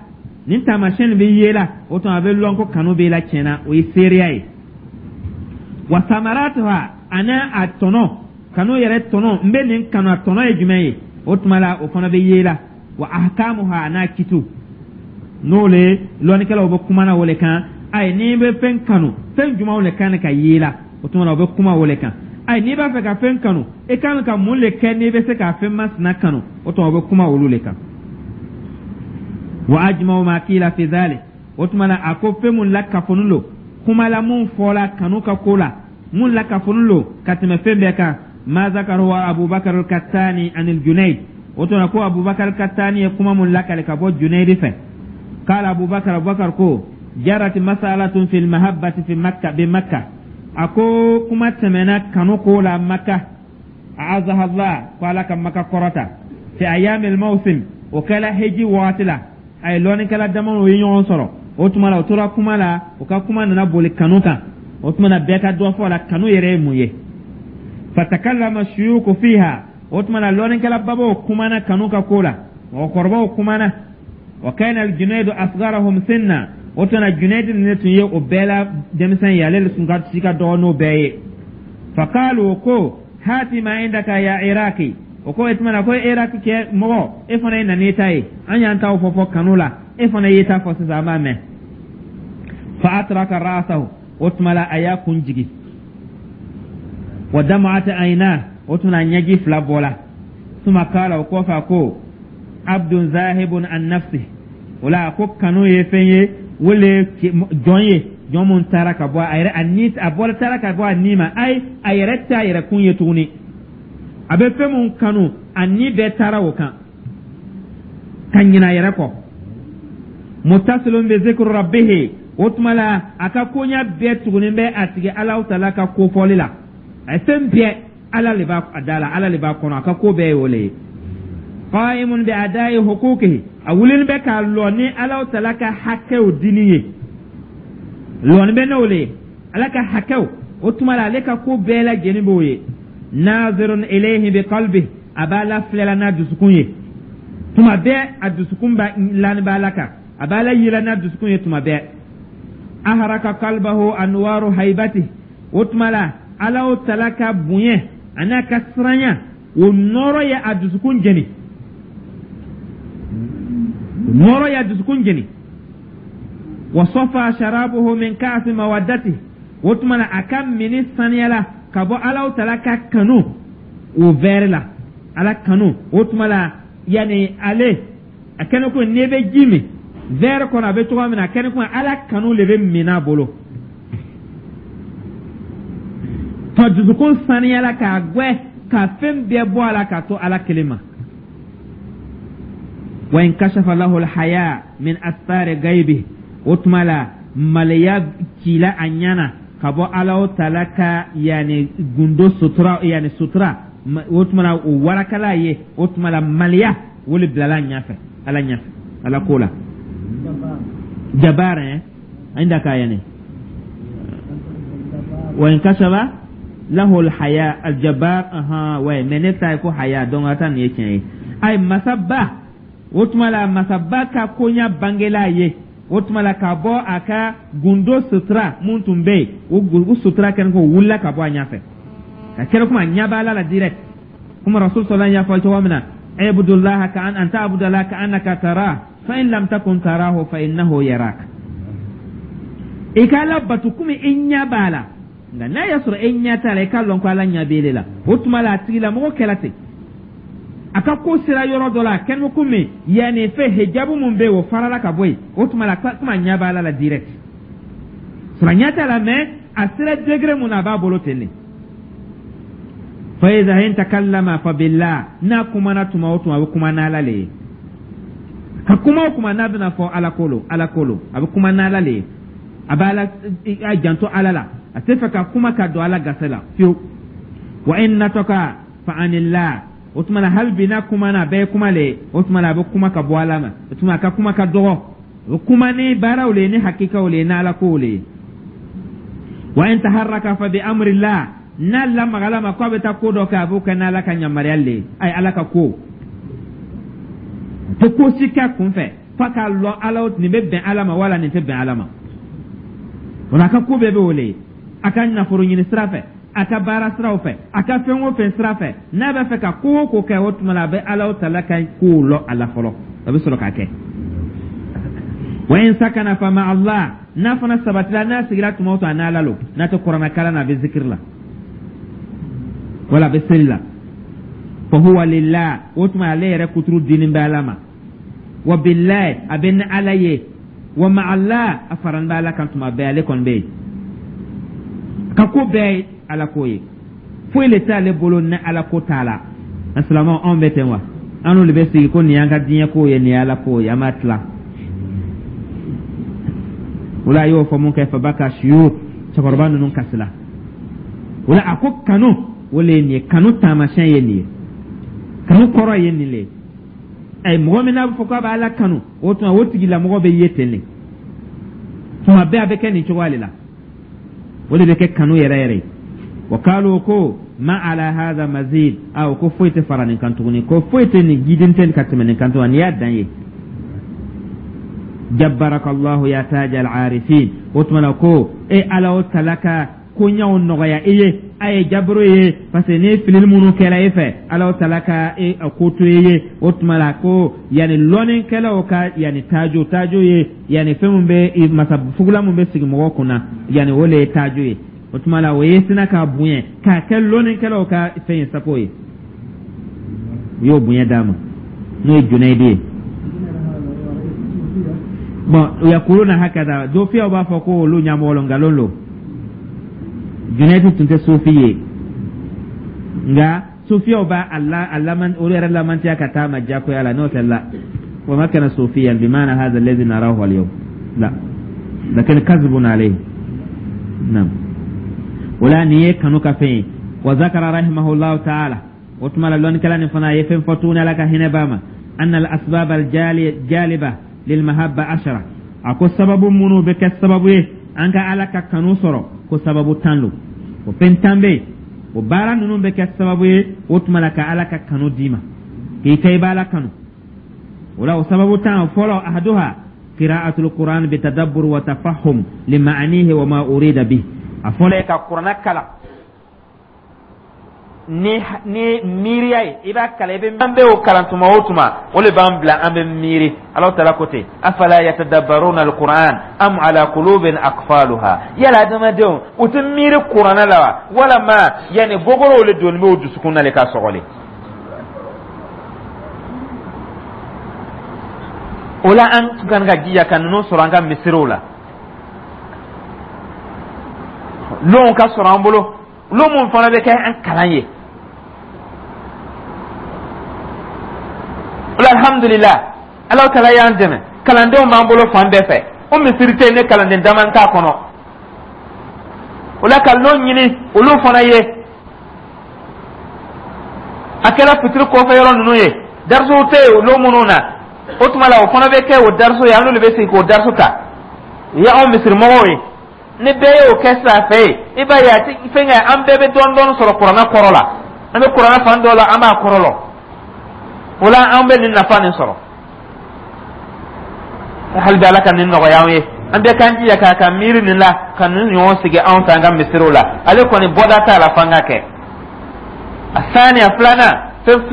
S1: nin taamasiyɛn nin bɛ y'i la, o tuma a bɛ lɔn ko kanu b'i la tiɲɛ na, o ye seereya ye. وثمراتها, ani a tɔnɔ, kanu yɛrɛ tɔnɔ, n bɛ nin kanu, a tɔnɔ ye jumɛn ye? O tuma la, o fana bɛ ye la. وأحكامها, n'a kitiw, n'o le lɔnnikɛlaw bɛ kuma na o le kan. Ayi, n'i bɛ fɛn kanu, fɛn jumɛnw le kan ka ye la? O tuma na, o bɛ kuma o le kan. Ayi, n'i b'a fɛ ka fɛn kanu, i kan ka mun le kɛ n'i bɛ se ka fɛn masina kanu? O tuma, o bɛ kuma olu le kan. وأجمع ما قيل في ذلك. O tuma na, a ko fɛn mun lakafonin lo kuma la, mun fɔla kanu ka ko la, mun lakafonin lo ka tɛmɛ fɛn bɛɛ kan, ما ذكره أبو بكر الكتاني عن الجنيد. O tuma ko Abubakar Kattani ye kuma mun lakale ka bɔ Junaydi fɛ. قال أبو بكر, Abubakar ko: جرت مسألة في المحبة في مكة بمكة. A ko kuma tɛmɛna kanu ko la Maka, أعزها الله, ko Ala ka Maka kɔrɔta, في أيام الموسم. O kɛla heji wagati la. A ye lɔnnikɛla damaw ye ɲɔgɔn sɔrɔ. O tuma la, o tora kuma la, o ka kuma nana boli kanu kan. O tuma na, bɛɛ ka dɔ fɔ a la, kanu yɛrɛ ye mun ye? فتكلم الشيوخ فيها. O tuma na, lɔnnikɛla babaw kumana kanu ka ko la, mɔgɔkɔrɔbaw kumana. وكان الجنيد أصغرهم سنا. O tuma na, Junaid ne tun ye o bɛɛ la denmisɛn ye, ale tun ka si ka dɔgɔ n'o bɛɛ ye. فقالوا, ko: هات ما عندك يا عراقي. O ko e tuma na ko Iraki kɛ mɔgɔ, e fana ye na n'i ta ye. An y'an taw fɔ fɔ kanu la, e fana y'i ta fɔ sisan, an b'a mɛn. فأطرق رأسه. O tuma la, a y'a kun jigi. ودمعت عيناه. O tuma na, ɲɛji fila bɔla. ثم قال, o kɔfɛ a ko: عبد ذاهب عن نفسه. O la, a ko kanu ye fɛn ye, wele jɔn ye, jɔn mun taara ka bɔ a yɛrɛ, a ni a bɔra, taara ka bɔ a ni ma. Ayi, a yɛrɛ t'a yɛrɛ kun ye tuguni. A bɛ fɛn mun kanu, a ni bɛɛ taara o kan ka ɲinɛ a yɛrɛ kɔ. Mutasilun bi zikri rabbihi, o tuma la a ka koɲa bɛɛ tugunin bɛ a tigi Alahu taala ka kofɔli la. A ye fɛn bɛɛ, Ala le b'a da la, Ala le b'a kɔnɔ, a ka ko bɛɛ ye o le ye. Qa'imun bi ada'i huquqihi, a wulinin bɛ k'a lɔ ni Alahu taala ka hakɛw dini ye, lɔni bɛ n'o le ye, Ala ka hakɛw. O tuma la ale ka ko bɛɛ lajɛlen b'o ye. Nazirun ilayhi bi qalbi, a b'Ala filɛla n'a dusukun ye tuma bɛɛ, a dusukun b'a lani b'Ala kan, a b'Ala yela n'a dusukun ye tuma bɛɛ. Aharaka qalbahu anwaru haibati, o tuma la Alahu taala ka bonya an'a ka siranya, o nɔɔrɔ ye a dusukun jeni, nɔɔrɔ y'a dusukun jeni. Wa safa sharabuhu min ka'si mawaddati, o tuma la a ka mini saniyala ka bɔ Alahu taala ka kanu o vɛri la, Ala kanu. O tuma la yanni ale a kɛnɛ ko n'i bɛ ji min vɛri kɔnɔ, a bɛ cogoya min na, a kɛnɛ ko Ala kanu le bɛ min a bolo. Ka dusukun saniyala k'a gwɛ ka fɛn bɛɛ bɔ a la k'a to Ala kelen ma. Wa in kashafa lahu alhaya min asfari gaibi, o tuma la maloya cila a ɲɛ na ka bɔ Alahu taala ka yanni gundo sutura, yanni sutura, o tuma la o warakala ye. O tuma la maloya o le bilala a ɲɛfɛ, Ala ɲɛfɛ, Ala ko la jabaara indaka yani wa in kashafa lahu alhaya aljabar. Aha, ouais, mais ne ta ye ko haya, donc a ta nin ye tiɲɛ ye. Ayi, masaba, o tuma la masaba ka koɲa bangela ye. O tuma la ka bɔ a ka gundo sutura mun tun bɛ yen, o sutura kɛlen ko wulila ka bɔ a ɲɛfɛ ka kɛra kuma a ɲɛ b'a la direct, komi Rasul sallallahu y'a fɔ cogo min na: ibudullaha ka an ta'budallaha ka annaka tarah, fa in lam takun tarahu fa innahu yarak. I ka Ala batu komi i ɲɛ b'a la, nka n'a y'a sɔrɔ e ɲɛ t'a la, i k'a lɔn ko Ala ɲɛ b'e la. O tuma la a tigilamɔgɔ kɛra ten, a ka ko sera yɔrɔ dɔ la, a kɛlen bɛ komi yanni fɛn hijabu mun bɛ yen, o farala ka bɔ yen. O tuma la komi a ɲɛ b'a la direct, sɔrɔ a ɲɛ t'a la, mais a sera degré mun na, a b'a bolo ten de. Fa iza in takallama fa billah, n'a kumana tuma o tuma, a bɛ kuma n'Ala le ye. Ka kuma o kuma n'a bɛna fɔ, Ala ko lo, Ala ko lo, a bɛ kuma n'Ala le ye. A b'a ala a janto Ala la, a tɛ fɛ ka kuma ka don Ala gasi la fiyewu. Wa in nataka fa anillah, o tuma na hali bi n'a kumana, a bɛɛ ye kuma le ye. O tuma na a bɛ kuma ka bɔ Ala ma. O tuma a ka kuma ka dɔgɔ, a bɛ kuma ni baaraw le ye, ni hakikaw le ye, ni Ala kow le ye. Wa in taharraka fa bi amrillah, n'a lamagala ma k'a bɛ taa ko dɔ kɛ, a b'o kɛ n'Ala ka yamaruya le ye. Ayi, Ala ka ko tɛ ko si kɛ kunfɛ f'a k'a lɔn Ala nin bɛ bɛn Ala ma wala nin tɛ bɛn Ala ma. O la a ka ko bɛɛ bɛ o le ye, a ka nafolo ɲini sira fɛ, a ka baara siraw fɛ, a ka fɛn o fɛn sira fɛ, n'a b'a fɛ ka ko o ko kɛ, o tuma la a bɛ Ala taala ka kow lɔ a la fɔlɔ, a bɛ sɔrɔ k'a kɛ. Wa in sakana fa ma Allah, n'a fana sabatila, n'a sigira tuma o tuma, a n'Ala lo. N'a tɛ kuranɛ kalan na, a bɛ zikiri la wala a bɛ seli la. Fa huwa lillah, o tuma ale yɛrɛ kuturu dinin bɛ Ala ma. Wa billahi, a bɛ ni Ala ye. Wa ma Allah, a faran bɛ Ala kan tuma bɛɛ, ale kɔni bɛ yen ka ko bɛɛ ye Ala ko ye, foyi le t'ale bolo ni Ala ko t'a la. An silamɛw, anw bɛ ten wa? An n'olu bɛ sigi ko nin y'an ka diɲɛ ko ye, nin ye Ala ko ye, an b'a tila. O la a y'o fɔ mun kɛ, fabaka suyur, cɛkɔrɔba ninnu kasila. O la a ko kanu, o le ye nin ye, kanu taamasiyɛn ye nin ye, kanu kɔrɔ ye nin le ye. Ayi, mɔgɔ min n'a bɛ fɔ k'a bɛ Ala kanu, o tuma o tigilamɔgɔ bɛ ye ten de tuma bɛɛ, a bɛ kɛ nin cogoya de la, o de bɛ kɛ kanu yɛrɛ yɛrɛ ye. Wa kalu ko ma ala hadha mazid, a ko foyi tɛ fara nin kan tuguni, ko foyi tɛ nin jiden tɛ ka tɛmɛ nin kan tuguni, nin y'a dan ye. Jabbarakallahu ya tajal arifin, o tuma na ko e Ala o tala ka koɲaw nɔgɔya i ye. A ye jabaro ye parce que ni filili minnu kɛra e fɛ, Ala o tala ka e ko to e ye. O tuma la ko yanni lɔnnikɛlaw ka yanni tajo, tajo ye yanni fɛn min bɛ masa fugula min bɛ sigi mɔgɔ kunna, yanni o le ye tajo ye. O tuma la o ye sina k'a bonya k'a kɛ lɔnnikɛlaw ka fɛn ye, sako ye, u y'o bonya d'a ma, n'o ye Junayidi ye. Bon, yakuluna hakada, sufiyaw b'a fɔ ko olu ɲɛmɔgɔ lo, nkalon lo. Junayidi tun tɛ sufi ye, nka Sufiyaw b'a a la a laman olu yɛrɛ lamantiya ka taa ma jagoya la, n'o tɛ la wa ma kana sufiyan bimana hadha alladhi narahu al-yawm la lakin kazibun alayhi. Naam, wala nin ye kanu ka fɛn ye. Wa zakara rahimahullahu ta'ala, o tuma la lɔnnikɛla nin fana a ye fɛn fɔ tuguni, Ala ka hinɛ b'a ma, anna al asbab al jaliba lil mahabba 10. A ko sababu minnu bɛ kɛ sababu ye an ka Ala ka kanu sɔrɔ, ko sababu 10 lo. O fɛn 10 bɛ yen, o baara ninnu bɛ kɛ sababu ye o tuma la ka Ala ka kanu d'i ma, k'i kɛ i b'Ala kanu. O la, o sababu 10 fɔlɔ, ahaduha qira'atul Qur'an bitadabbur wa tafahum lima'anihi wa ma urida bih. A fɔlɔ ye ka Kuranna kalan ni miiriya ye. I b'a kalan, i bɛ an bɛ o kalan tuma o tuma, o de b'an bila an bɛ miiri. Alahu taala ko ten: afala yatadabbaruna alquran am ala qulubin aqfaluha. Yala adamadenw u tɛ miiri Kuranɛ la wa, walama yanni gogorow le donni bɛ u dusukun na le ka sɔgɔli? O la, an kan ka jija ka ninnu sɔrɔ an ka misiriw la. Lonw ka sɔrɔ an bolo, lon mun fana bɛ kɛ an kalan ye. O la, alhamdulillah, Alahu taala y'an dɛmɛ, kalandenw b'an bolo fan bɛɛ fɛ. O misiri tɛ yen ne kalanden dama t'a kɔnɔ. O la, ka lon ɲini olu fana ye, a kɛra fitiri kɔfɛ yɔrɔ ninnu ye, darisuw tɛ yen lon minnu na, o tuma la o fana bɛ kɛ o darisu ye, an n'olu bɛ sigi k'o darisu ta. O ye anw misirimɔgɔw ye. Ni bɛɛ y'o kɛ sisan fɛ yen, i b'a ye a ti fɛn kɛ, an bɛɛ bɛ dɔɔni dɔɔni sɔrɔ Kuranɛ kɔrɔ la. An bɛ Kuranɛ fan dɔ la, an b'a kɔrɔ lɔn. O la, an bɛ nin nafa nin sɔrɔ. Hali bi, Ala ka nin nɔgɔya an ye. An bɛɛ k'an jija k'a ka miiri nin la, ka nin ɲɔgɔn sigi anw fɛ an ka misiriw la. Ale kɔni bɔda t'a la f'an ka kɛ. A saniya, filanan,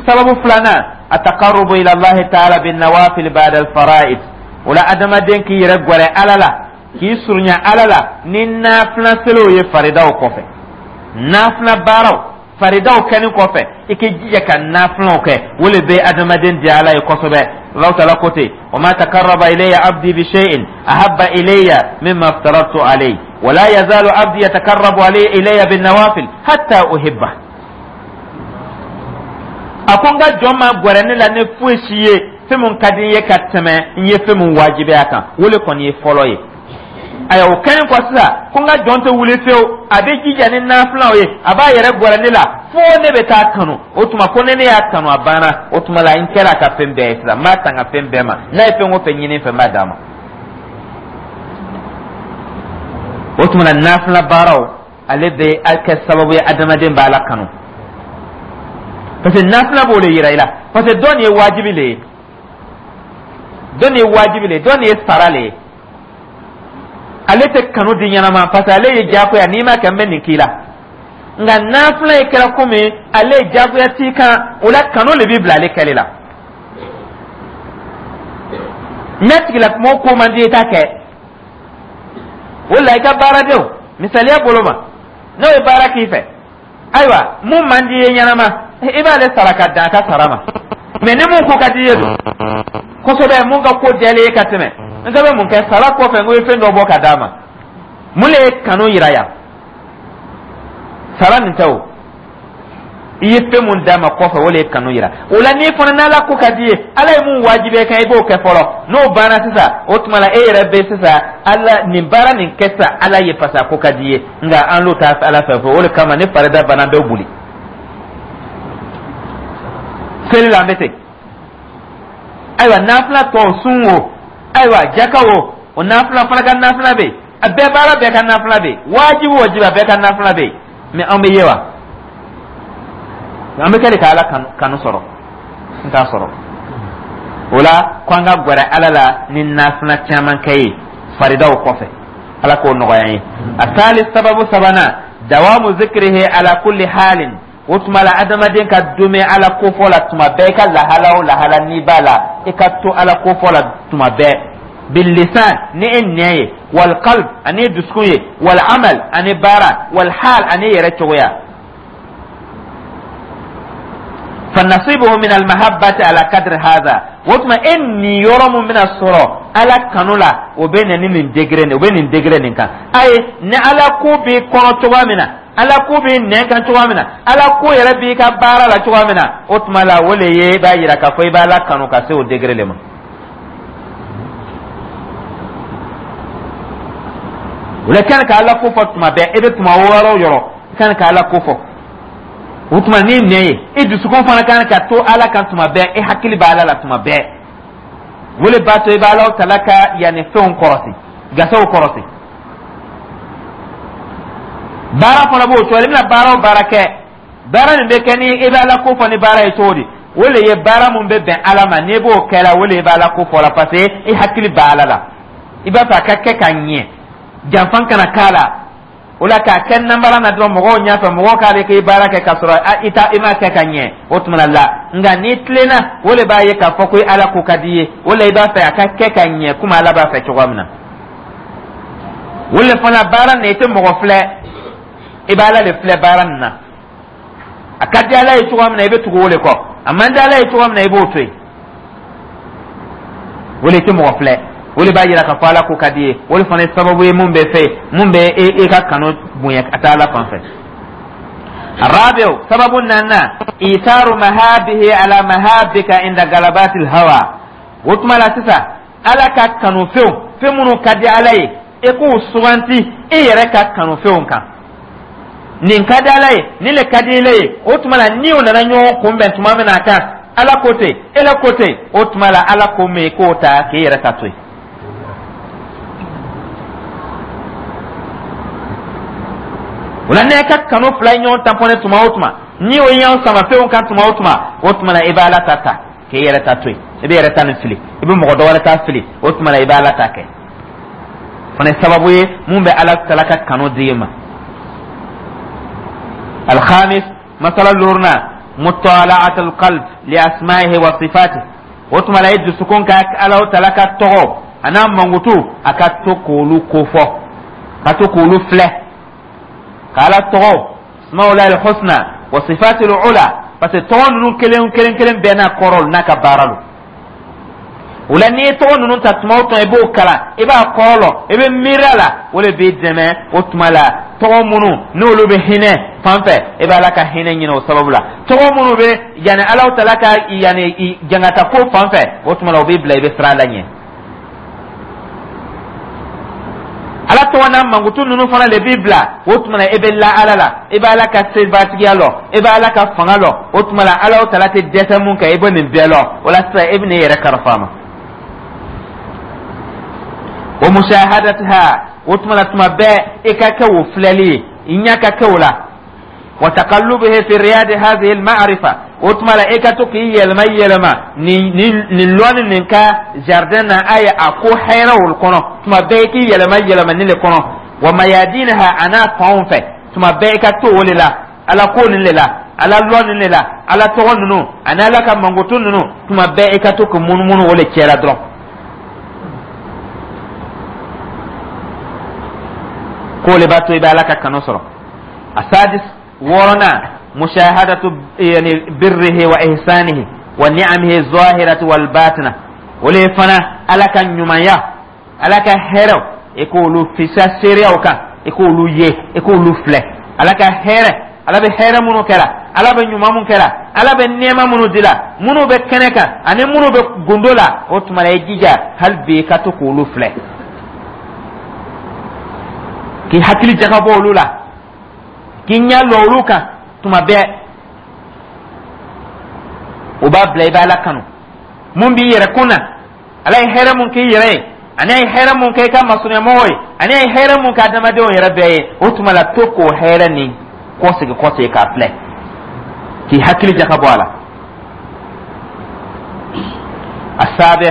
S1: sababu filanan, ataqarrubu ila Allahi ta'ala bin nawafil ba'da al fara'id. O la, adamaden k'i yɛrɛ gwɛrɛ Ala la, k'i surunya Ala la ni nafila seliw ye faridaw kɔfɛ. Nafila baaraw faridaw kɛni kɔfɛ, i k'i jija ka nafilaw kɛ, o le bɛ adamaden diya Ala ye kosɛbɛ. Alahu taala ko ten: wa ma takarraba ilayya abdi bi shay'in ahabba ilayya mimma aftaratu alayhi wa la yazalu abdi yatakarrabu alayya ilayya bin nawafil hatta uhibba. A ko n ka jɔn ma gwɛrɛ ne la ni foyi si ye fɛn mun ka di n ye ka tɛmɛ n ye fɛn mun wajibiya kan, o le kɔni ye fɔlɔ ye. Ayiwa, o kɛlen kɔ sisan, ko n ka jɔn tɛ wuli fewu, a bɛ jija ni nafilaw ye, a b'a yɛrɛ gwɛrɛ ne la fo ne bɛ taa kanu. O tuma ko ne y'a kanu, a banna. O tuma la, n kɛra a ka fɛn bɛɛ ye sisan, n b'a tanga fɛn bɛɛ ma. N'a ye fɛn o fɛn ɲini n fɛ, n b'a d'a ma. O tuma la, nafila baaraw, ale bɛ kɛ sababu ye adamaden b'Ala kanu, parce que nafila b'o de yira i la, parce que dɔ nin ye wajibi le ye, dɔ nin ye wajibi le ye, dɔ nin ye sara le ye. Ale tɛ kanu di ɲɛnama, parce que ale ye diyagoya, n'i ma kɛ, n bɛ nin k'i la. Nka nafila ye kɛra komi ale ye diyagoya t'i kan. O la, kanu le b'i bila ale kɛli la. N'a tigilamɔgɔ ko man di, i t'a kɛ. O la, i ka baaradenw, misaliya bolo ma, n'o ye baara k'i fɛ, ayiwa, mun man di i ye ɲɛnama, i b'ale sara ka dan a ka sara ma. Mɛ ni mun ko ka di i ye don kosɛbɛ, mun ka ko diyalen ye ka tɛmɛ, n bɛ mun kɛ sara kɔfɛ? N ko i ye fɛn dɔ bɔ ka d'a ma. Mun le ye kanu yira yan? Sara nin tɛ o. I ye fɛn mun d'a ma kɔfɛ, o le ye kanu yira. O la, n'i fana n'Ala ko ka di ye, Ala ye mun wajibiya kan, i b'o kɛ fɔlɔ. N'o banna sisan, o tuma la e yɛrɛ bɛ sisan Ala nin baara nin kɛ sisan Ala ye, parce que a ko ka di ye. Nka an l'o t'a Ala fɛ. O de kama, ni farida banna, an bɛ boli seli la, an bɛ ten. Ayiwa, nafila tɔw, sun o, ayiwa, jaka o, o nafila fana ka nafila bɛ yen, a bɛɛ baara bɛɛ ka nafila bɛ yen, wajibi wajibi, a bɛɛ ka nafila bɛ yen. Mɛ an bɛ ye wa, an bɛ kɛ de ka Ala kanu sɔrɔ, n t'a sɔrɔ. O la, ko an ka gwɛrɛ Ala la ni nafila caman kɛ ye faridaw kɔfɛ. Ala k'o nɔgɔya an ye. A taali sababu sabanan, dawamu zikrihi ala kulli halin. O tuma la, adamaden ka duumɛ Ala kofɔ la tuma bɛɛ, i ka lahala o lahala n'i b'a la, i ka to Ala kofɔ la tuma bɛɛ, billisan, ni e nɛn ye, wal qalb, ani dusukun ye, wal amal, ani baara, wal hal, ani yɛrɛ cogoya. Fa nasibuhu min al mahabbati ala kadri hadha. O tuma, e niyɔrɔ mun bɛna sɔrɔ Ala kanu la, o bɛ na ni nin degré nin, o bɛ nin degré nin kan. Ayi, ni Ala ko b'i kɔnɔ cogoya min na. Ala ko b'i nɛn kan cogoya min na, Ala ko yɛrɛ b'i ka baara la cogoya min na, o tuma la o le ye i b'a yira k'a fɔ i b'Ala kanu ka se o degré le ma. O la i kan ka Ala ko fɔ tuma bɛɛ, i bɛ tuma yɔrɔ o yɔrɔ, i kan ka Ala ko fɔ. O tuma n'i nɛn ye, i dusukun fana kan ka to Ala kan tuma bɛɛ, i hakili bɛ Ala la tuma bɛɛ. O le b'a to i bɛ Alahu tala ka yanni fɛnw kɔrɔsi, gasew kɔrɔsi. Baara fana b'o cogo la, i bɛna baara o baara kɛ, baara nin bɛ kɛ ni i bɛ Ala ko fɔ ni baara ye cogo di? O le ye baara mun bɛ bɛn Ala ma, n'i b'o kɛ la, o le i bɛ Ala ko fɔ la, parce que i hakili bɛ Ala la, i b'a fɛ a ka kɛ ka ɲɛ, janfan kana k'a la. O la k'a kɛ nanbara na dɔrɔn mɔgɔw ɲɛfɛ, mɔgɔw k'ale k'i baara kɛ k'a sɔrɔ i ta i m'a kɛ ka ɲɛ, o tuma la. Nka n'i tilenna, o le b'a ye k'a fɔ ko Ala ko ka di i ye, o la i b'a fɛ a ka kɛ ka ɲɛ komi Ala b'a fɛ cogoya min na. O le fana baara nin, i tɛ mɔgɔ filɛ, i b'Ala le filɛ baara nin na. A ka di Ala ye cogoya min na, i bɛ tugu o le kɔ. A man di Ala ye cogoya min na, i b'o to yen. O le tɛ mɔgɔ filɛ, o de b'a yira k'a fɔ Ala ko ka di ye. O de fana ye sababu ye mun bɛ fɛ mun bɛ e ka kanu bonya ka taa Ala fan fɛ. Arabiw sababu nana isaru mahabihi ala mahabika inda galabatil hawa. O tuma la sisan, Ala ka kanufɛnw, fɛn minnu ka di Ala ye, e k'u suganti e yɛrɛ ka kanufɛnw kan. Nin ka di Ala ye, nin le ka di ile ye. O tuma la ni o nana ɲɔgɔn kunbɛn tuma min na a kan, Ala ko ten, e la ko ten, o tuma la Ala ko min, i k'o ta k'e yɛrɛ ta to yen. O la n'e ka kanu fila ye ɲɔgɔn tanpɔnɛ tuma o tuma, ni o ye ɲɔgɔn sama fɛnw kan tuma o tuma, o tuma la i bɛ Ala ta ta k'e yɛrɛ ta to yen. I bɛ yɛrɛ ta nin fili, i bɛ mɔgɔ dɔ wɛrɛ ta fili, o tuma la i bɛ Ala ta kɛ. Fana ye sababu ye mun bɛ Ala tala ka kanu di i ma. Alhamis, masala loruna, mutala'at alqalb li asma'ihi wa sifatihi. O tuma la i dusukun ka Ala tala ka tɔgɔ a n'a mankutu, a ka to k'olu kofɔ, ka to k'olu filɛ, ka Ala tɔgɔ asma'ulahi alhusna wa sifatil ula, parce que tɔgɔ ninnu kelen kelen kelen bɛɛ n'a kɔrɔ n'a ka baara don. O la n'i ye tɔgɔ ninnu ta tuma o tuma, i b'o kalan, i b'a kɔrɔ lɔn, i bɛ miiri a la, o de b'i dɛmɛ. O tuma la tɔgɔ minnu n'olu bɛ hinɛ fan fɛ, i bɛ Ala ka hinɛ ɲini o sababu la. Tɔgɔ minnu bɛ yanni Alahu tala ka yanni jangata ko fan fɛ, o tuma la o b'i bila i bɛ siran Ala ɲɛ. Ala tɔgɔ n'a mankutu ninnu fana de b'i bila, o tuma la i bɛ la Ala la, i bɛ Ala ka sebatigiya lɔn, i bɛ Ala ka fanga lɔn. O tuma la Ala tala tɛ dɛsɛ mun kɛ, i bɛ nin bɛɛ lɔn. O la sisan i bɛ n'i yɛrɛ kalifa a ma. Wa mushahadatiha, o tuma la tuma bɛɛ i ka kɛ o filɛli ye, i ɲɛ ka kɛ o la. Wa taqallubihi fi riyadi hadhihi al-ma'rifa, o tuma la i ka to k'i yɛlɛma yɛlɛma nin nin nin lɔnni nin ka jardin na, a ye a ko hɛrɛw kɔnɔ. Tuma bɛɛ i k'i yɛlɛma yɛlɛma nin le kɔnɔ. Wa mayadinaha, a n'a fanw fɛ, tuma bɛɛ i ka to o le la, Ala ko nin le la, Ala lɔn nin le la, Ala tɔgɔ ninnu ani Ala ka mankutu ninnu, tuma bɛɛ i ka to k'i munumunu o le cɛla dɔrɔn. K'o le b'a to i bɛ Ala ka kanu sɔrɔ. Asadis, wɔɔrɔnan, mushahadatu yani birrihi wa ihsanihi wa ni'amihi zahirati wal batina. O le fana Ala ka ɲumanya, Ala ka hɛrɛw, i k'olu fisa seereyaw kan, i k'olu ye, i k'olu filɛ. Ala ka hɛrɛ, Ala bɛ hɛrɛ minnu kɛra, Ala bɛ ɲuman mun kɛra, Ala bɛ nɛɛma minnu dila, minnu bɛ kɛnɛ kan ani minnu bɛ gundo la, o tuma la i jija hali bi i ka to k'olu filɛ, k'i hakili jagabɔ olu la, k'i ɲɛ lɔ olu kan tuma bɛɛ. O b'a bila i bɛ Ala kanu. Mun b'i yɛrɛ kun na, Ala ye hɛrɛ mun k'i yɛrɛ ye, ani a ye hɛrɛ mun kɛ i ka masurunyamɔgɔw ye, ani a ye hɛrɛ mun kɛ adamadenw yɛrɛ bɛɛ ye, o tuma la to k'o hɛrɛ nin kɔsegi kɔsegi k'a filɛ, k'i hakili jagabɔ a la. Asabi,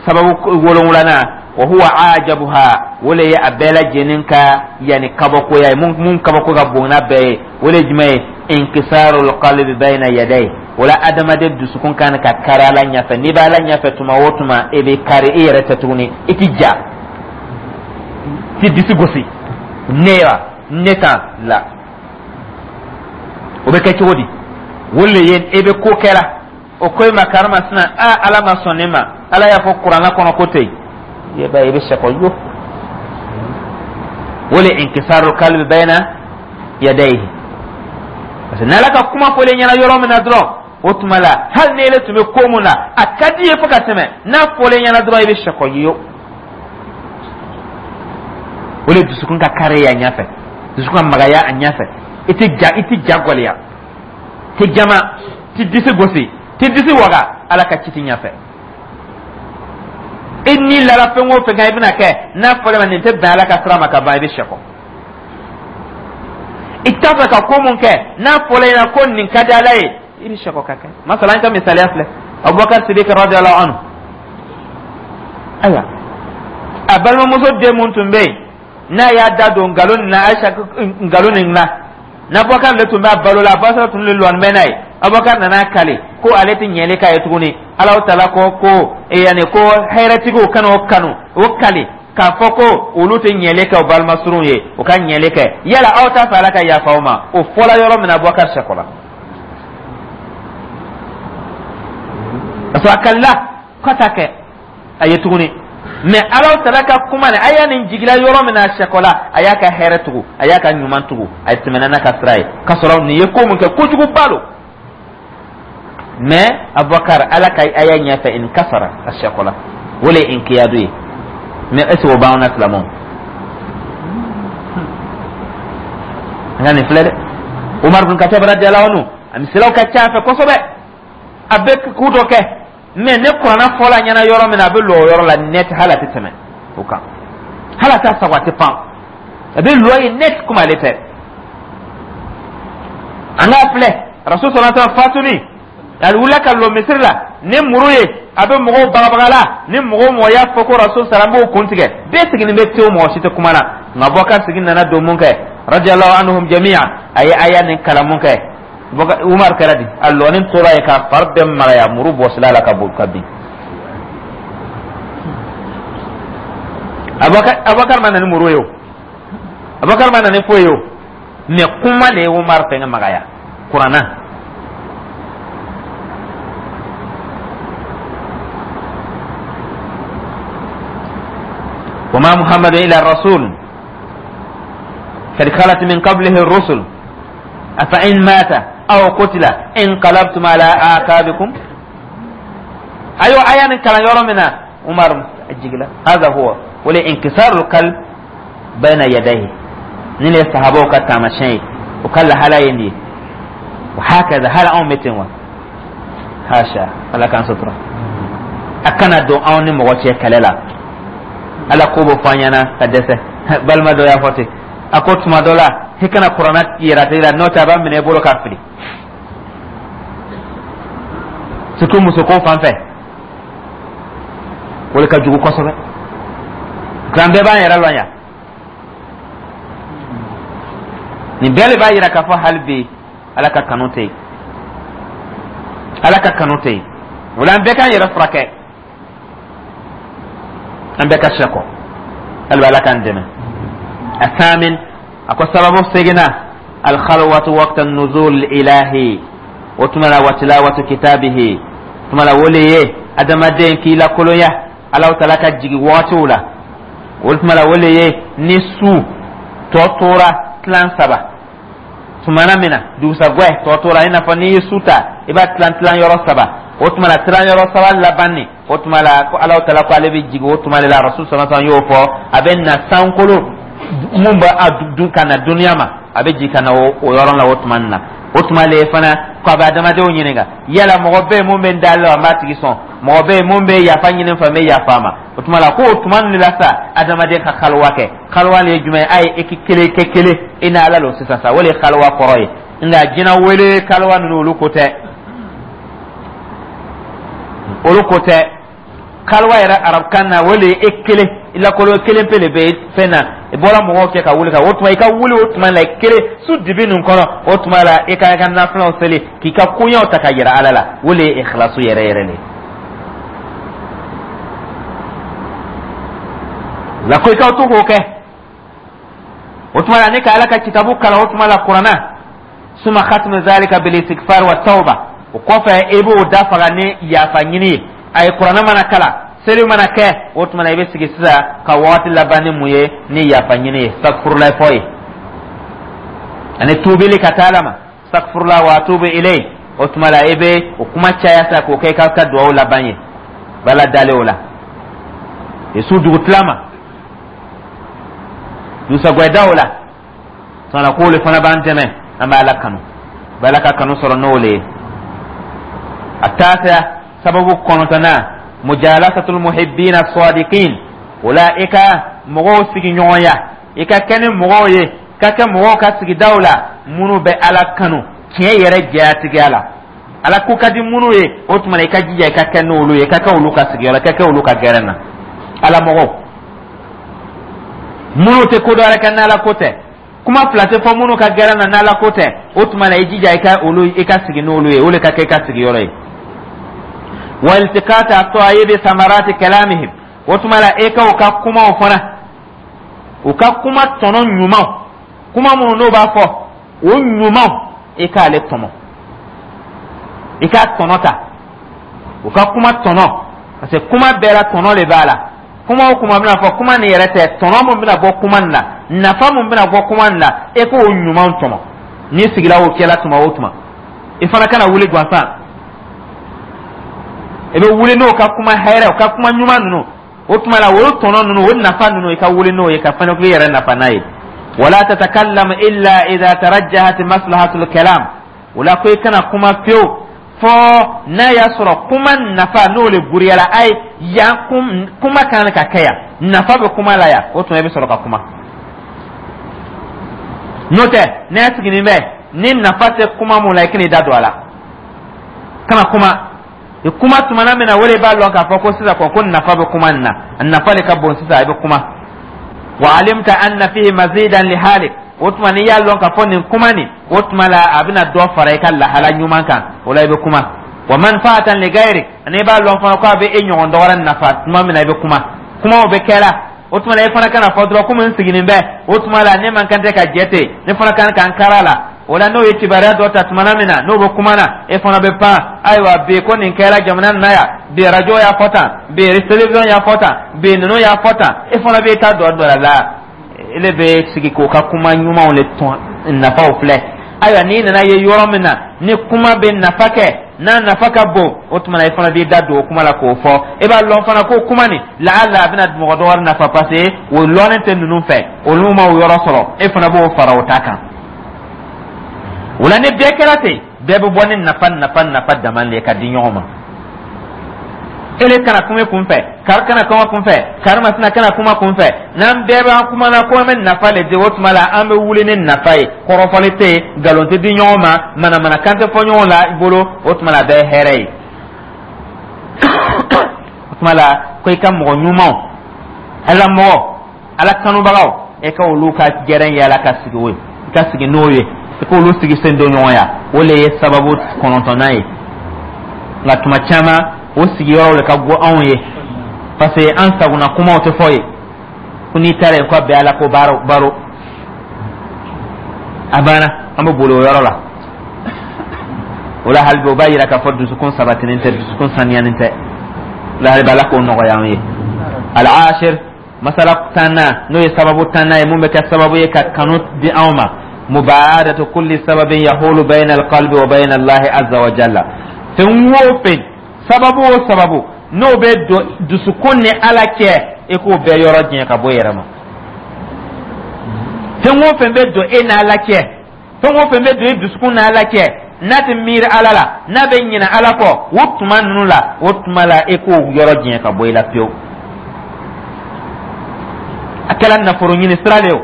S1: sababu wolonwulanan, wa huwa ajabuha, o le ye a bɛɛ lajɛlen ka yanni kabakoya ye, mun kabako ka bon n'a bɛɛ ye, o le ye jumɛn ye? Inkisarul qalbi bayna yadayhi. O la adamaden dusukun kan ka kari Ala ɲɛfɛ. N'i bɛ Ala ɲɛfɛ tuma o tuma, e bɛ kari, i yɛrɛ tɛ tuguni, i ti ja, ti disi gosi ne wa ne tan la. O bɛ kɛ cogo di? O le ye e bɛ ko kɛra, o ko i ma karimasina, a Ala ma sɔn ne ma, Ala y'a fɔ kuranna kɔnɔ ko ten, i b'a ye i bɛ sɛkɔ yo. O le inkisarul qalbi bayna yadayhi. Parce que n'Ala ka kuma fɔlen ɲɛna yɔrɔ min na dɔrɔn, o tuma la, hali ni ele tun bɛ ko mun na, a ka di ye fo ka tɛmɛ, n'a fɔlen ɲɛna dɔrɔn, i bɛ sɛkɔ ye. O de dusukun ka kari a ɲɛfɛ, dusukun ka magaya a ɲɛfɛ. I tɛ ja, i tɛ ja gɔlɛya, tɛ jama, tɛ disi gosi, tɛ disi waga Ala ka citi ɲɛfɛ. I ni lara fɛn o fɛn kan, i bɛna kɛ n'a fɔra ma nin tɛ bɛn Ala ka sira ma ka ban, i bɛ sɛkɔ. I t'a fɛ ka ko mun kɛ, n'a fɔra i ɲɛna ko nin ka di Ala ye, i bɛ sɛkɔ ka kɛ. Masala, an ka misaliya filɛ, Abubakar Sidiki radiyallahu anhu. Ayiwa, a balimamuso den mun tun bɛ yen, n'a y'a da don nkalon nin na, Ayisa nkalon nin na, n'Abubakar le tun b'a balo la, Abubakar tun le lɔni bɛ n'a ye. Abubakar nana kale ko ale tɛ ɲɛli k'a ye tuguni. Alahu taala ko yanni ko hɛrɛtigiw kana o kanu, o kale k'a fɔ ko olu tɛ ɲɛli kɛ o balimasurunw ye, o ka ɲɛli kɛ. Yala aw t'a fɛ Ala ka yafa aw ma? O fɔla yɔrɔ min na, Abubakar sɛkɔla, parce que a kalila k'a t'a kɛ a ye tuguni. Mais Alahu taala ka kuma nin, a y'a nin jigila yɔrɔ min na, a sɛkɔla, a y'a ka hɛrɛ tugu, a y'a ka ɲuman tugu, a tɛmɛna n'a ka sira ye, k'a sɔrɔ nin ye ko mun kɛ, kojuguba lo. Mais Abubakar, Ala ka aya ɲɛfɛ, inkasara, a sɛkɔla. O le ye inkiyadu ye. Mais est ce que o b'anw na, silamɛw? An ka nin filɛ dɛ, Umar bin Khattab radiyallahu anhu, a misaliyaw ka ca a fɛ kosɛbɛ. A bɛ ko dɔ kɛ, mais ni kuranna fɔla a ɲɛna yɔrɔ min na, a bɛ lɔ o yɔrɔ la net, hali a tɛ tɛmɛ o kan, hali a t'a sago, a tɛ pan, a bɛ lɔ yen net komi ale tɛ. An k'a filɛ, Rasul sallallahu alaihi wasallam fatuni, a wulila ka lɔ misiri la ni muru ye, a bɛ mɔgɔw bagabaga la. Ni mɔgɔ o mɔgɔ y'a fɔ ko Rasul sara, n b'o kun tigɛ. Bɛɛ sigilen bɛ tewu, mɔgɔ si tɛ kuma na. Nka Abubakar sigi nana don mun kɛ, radiyallahu anhum jami'a, a ye aya nin kalan mun kɛ, Umar kɛra di, a lɔnin tora yen k'a fari bɛɛ magaya, muru bɔsila la ka bɔ ka bin. Abubakar ma na ni muru ye o, Abubakar ma na ni foyi ye o, mais kuma le ye Umar fɛngɛ magaya, kuranna. وما محمد إلا رسول قد خلت من قبله الرسل أفإن مات أو قتل انقلبتم على أعقابكم. أيوة، آية من كلام يرى عمر الجقلة. هذا هو ولا انكسار القلب بين يديه. نيل الصحابة كتامشين وكل هلا يندي وهكذا. هل أو متن hasha, Ala k'an sutura. A kana don anw ni mɔgɔ cɛ kɛlɛ la. Ala ko bɛ fɔ an ɲɛna ka dɛsɛ. Balima dɔ y'a fɔ ten, a ko tuma dɔ la, i kana kuranna yɛrɛ tigi la, n'o tɛ a b'a minɛ i bolo k'a fili, surtout musoko fan fɛ, o de ka jugu kosɛbɛ. Nka an bɛɛ b'an yɛrɛ lɔn yan. Nin bɛɛ de b'a yira k'a fɔ hali bi Ala ka kanu tɛ yen, Ala ka kanu tɛ yen. O la, an bɛɛ k'an yɛrɛ furakɛ, an bɛɛ ka sɛkɔ. Hali bi Ala k'an dɛmɛ. Asamin, a ko sababu seginna, alkhalwatu waqta nuzul ilahi, o tuma la wa tilawatu kitabihi. Tuma la, o le ye adamaden k'i lakolonya Alahu taala ka jigi wagatiw la. O tuma la, o le ye ni su tɔ tora tilan saba tumana min na, dugusagwɛ tɔ tora, i n'a fɔ n'i ye su ta, i b'a tilan tilan yɔrɔ saba, o tuma la tilan yɔrɔ saba laban nin, o tuma la ko Alahu taala ko ale bɛ jigin o tuma de la. Rasul sallallahu alaihi wasallam y'o fɔ, a bɛ na sankolo mun bɛ a dun ka na duniya ma, a bɛ jigin ka na o yɔrɔ la o tuma nin na. O tuma le fana ko a bɛ adamadenw ɲininka: yala mɔgɔ bɛ yen mun bɛ n dali la, n b'a tigi sɔn? Mɔgɔ bɛ yen mun bɛ yafa ɲini n fɛ, n bɛ yafa a ma? O tuma la ko o tuma nin de la sa, adamaden ka kaliwa kɛ. Kaliwa le ye jumɛn ye? A ye e kelen kɛ kelen i ni Ala lo sisan sa, o le ye kaliwa kɔrɔ ye. Nka jinɛ wele kaliwa ninnu, olu ko tɛ, olu ko tɛ. Kaliwa yɛrɛ arabukan na, o le ye e kelen i lakolo kelen pe le bɛ fɛn na, i bɔra mɔgɔw cɛ ka wuli ka o tuma i ka wuli o tuma la i kelen su dibi nin kɔnɔ, o tuma la i ka i ka nafilaw seli, k'i ka koɲɛw ta ka yira Ala la, o le ye ikhlasu yɛrɛ yɛrɛ le ye. La ko i ka to k'o kɛ o tuma la, ni ka Ala ka kitabu kalan o tuma la, kuranna. Suma khatmu zalika bil istighfar wa tawba, o kɔfɛ i b'o dafaga ni yafa ɲini ye. A ye kuranna mana kalan, seli mana kɛ, o tuma la i bɛ sigi sisan ka wagati laban ni mun ye? Ni yafa ɲini ye, astaghfirullah fɔ ye. Ani tuubili ka taa Ala ma, astaghfirullah wa atubu ilayh. O tuma la, i bɛ o kuma caya sa k'o kɛ i ka duwawu laban ye. Bala dalen o la i su dugutila ma dusagwɛda o la tuma k'o le fana b'an dɛmɛ, an bɛ Ala kanu, bɛ Ala ka kanu sɔrɔ n'o le ye. A taasiya, sababu kɔnɔntɔnnan, mujalasatul muhibbina sadiqin. O la, i ka mɔgɔw sigi ɲɔgɔnya, i ka kɛ ni mɔgɔw ye, ka kɛ mɔgɔw ka sigidaw la minnu bɛ Ala kanu tiɲɛ yɛrɛ jɛyatigiya la, Ala ko ka di minnu ye. O tuma na, i ka jija i ka kɛ n'olu ye, i ka kɛ olu ka sigiyɔrɔ, i ka kɛ olu ka gɛrɛn na. Ala mɔgɔw minnu tɛ ko dɔ wɛrɛ kɛ n'Ala ko tɛ, kuma fila tɛ fɔ minnu ka gɛrɛn na n'Ala ko tɛ, o tuma na, i jija i ka olu, i ka sigi n'olu ye, o de ka kɛ i ka sigiyɔrɔ ye. Wa iltiqata at-tayyibi samarati kalamihim. O tuma la, e ka u ka kumaw fana, u ka kuma tɔnɔ ɲumanw, kuma minnu n'o b'a fɔ, o ɲumanw, i k'ale tɔmɔ, i k'a tɔnɔ ta, u ka kuma tɔnɔ, parce que kuma bɛɛ la tɔnɔ de b'a la. Kuma o kuma bɛna fɔ, kuma nin yɛrɛ tɛ, tɔnɔ mun bɛna bɔ kuma nin la, nafa mun bɛna bɔ kuma nin la, e k'o ɲumanw tɔmɔ. N'i sigila o kɛla tuma o tuma, i fana kana wuli gansan. I bɛ wuli n'o ka kuma hɛrɛ, o ka kuma ɲuman ninnu, o tuma la, o tɔnɔ ninnu, o nafa ninnu, i ka wuli n'o ye ka fana k'i yɛrɛ nafa n'a ye. Wala tatakallam illa idha tarajjahat maslahatul kalam. O la, ko i kana kuma fiyewu fɔ n'a y'a sɔrɔ kuma nafa n'o le guriyala a ye yan, kuma kan ka kɛ yan, nafa bɛ kuma la yan, o tuma i bɛ sɔrɔ ka kuma. N'o tɛ, n'a siginin bɛ ni nafa tɛ kuma mun la, i kan'i da don a la, kana kuma. I kuma tumana min na, o de b'a lɔn k'a fɔ ko sisan kɔ ko nafa bɛ kuma nin na, a nafa de ka bon sisan, i bɛ kuma. Wa alimta anna fihi mazidan li halik. O tuma, n'i y'a lɔn k'a fɔ nin kuma nin, o tuma la, a bɛna dɔ fara i ka lahala ɲuman kan, o la i bɛ kuma. Wa manfaatan li gairik, ani i b'a lɔn fana ko a bɛ e ɲɔgɔn dɔ wɛrɛ nafa tuma min na, i bɛ kuma. Kumaw bɛ kɛla, o tuma la, e fana kana fɔ dɔrɔn komi n siginin bɛ, o tuma la, ne man kan tɛ ka jɛ ten, ne fana kan ka n kara la. O la, n'o ye kibaruya dɔ ta tumana min na, n'o bɛ kuma na, e fana bɛ pan: ayiwa, bi ko nin kɛra jamana nin na yan bi, arajo y'a fɔ tan bi, télévision y'a fɔ tan bi, ninnu y'a fɔ tan. E fana bɛ taa dɔ dɔ la, ele bɛ sigi k'o ka kuma ɲumanw le tɔn nafaw filɛ. Ayiwa, n'i nana ye yɔrɔ min na ni kuma bɛ nafa kɛ, n'a nafa ka bon, o tuma na, i fana b'i da don o kuma la k'o fɔ. E b'a lɔn fana ko kuma nin laala a bɛna mɔgɔ dɔ wɛrɛ nafa, parce que o lɔnnen tɛ ninnu fɛ, olu ma o yɔrɔ sɔrɔ, e fana b'o fara o ta kan. O la, ni bɛɛ kɛra ten, bɛɛ bɛ bɔ ni nafa nafa nafa dama de ye ka di ɲɔgɔn ma. Ele kana kuma kun fɛ, kari kana kuma kun fɛ, kari masina kana kuma kun fɛ. N'an bɛɛ b'an kuma na ko an bɛ nafa le di, o tuma la, an bɛ wuli ni nafa ye. Kɔrɔfɔli tɛ yen, nkalon tɛ di ɲɔgɔn ma, manamanakan tɛ fɔ ɲɔgɔn la i bolo. O tuma la, a bɛɛ ye hɛrɛ ye. O tuma la, ko i ka mɔgɔ ɲumanw, Ala mɔgɔ, Ala kanubagaw, e ka olu ka gɛrɛn yala ka sigi o ye, i ka sigi n'o ye, i k'olu sigi sen don ɲɔgɔnya. O le ye sababu kɔnɔntɔnnan ye. Nka tuma caman, o sigiyɔrɔw le ka go anw ye, parce que an sagona kumaw tɛ fɔ ye. Ko n'i taara yen, ko a bɛɛ Ala ko baro baro, a banna, an bɛ boli o yɔrɔ la. O la, hali bi, o b'a yira k'a fɔ dusukun sabatinin tɛ, dusukun saniyanin tɛ. O la, hali bi, Ala k'o nɔgɔya an ye. Al-ashir, masala tannan, n'o ye sababu tannan ye mun bɛ kɛ sababu ye ka kanu di anw ma: mubaadatu kulli sababin yahulu bayna alqalbi wa bayna Allahi azza wa jalla. Fɛn o fɛn, sababu o sababu n'o bɛ don dusukun ni Ala cɛ, e k'o bɛɛ yɔrɔ janya ka bɔ i yɛrɛ ma. Fɛn o fɛn bɛ don e n'Ala cɛ, fɛn o fɛn bɛ don e dusukun n'Ala cɛ, n'a tɛ miiri Ala la, n'a bɛ ɲinɛ Ala kɔ o tuma ninnu la, o tuma la, e k'o yɔrɔ janya ka bɔ i la pewu. A kɛra nafolo ɲini sira de ye o,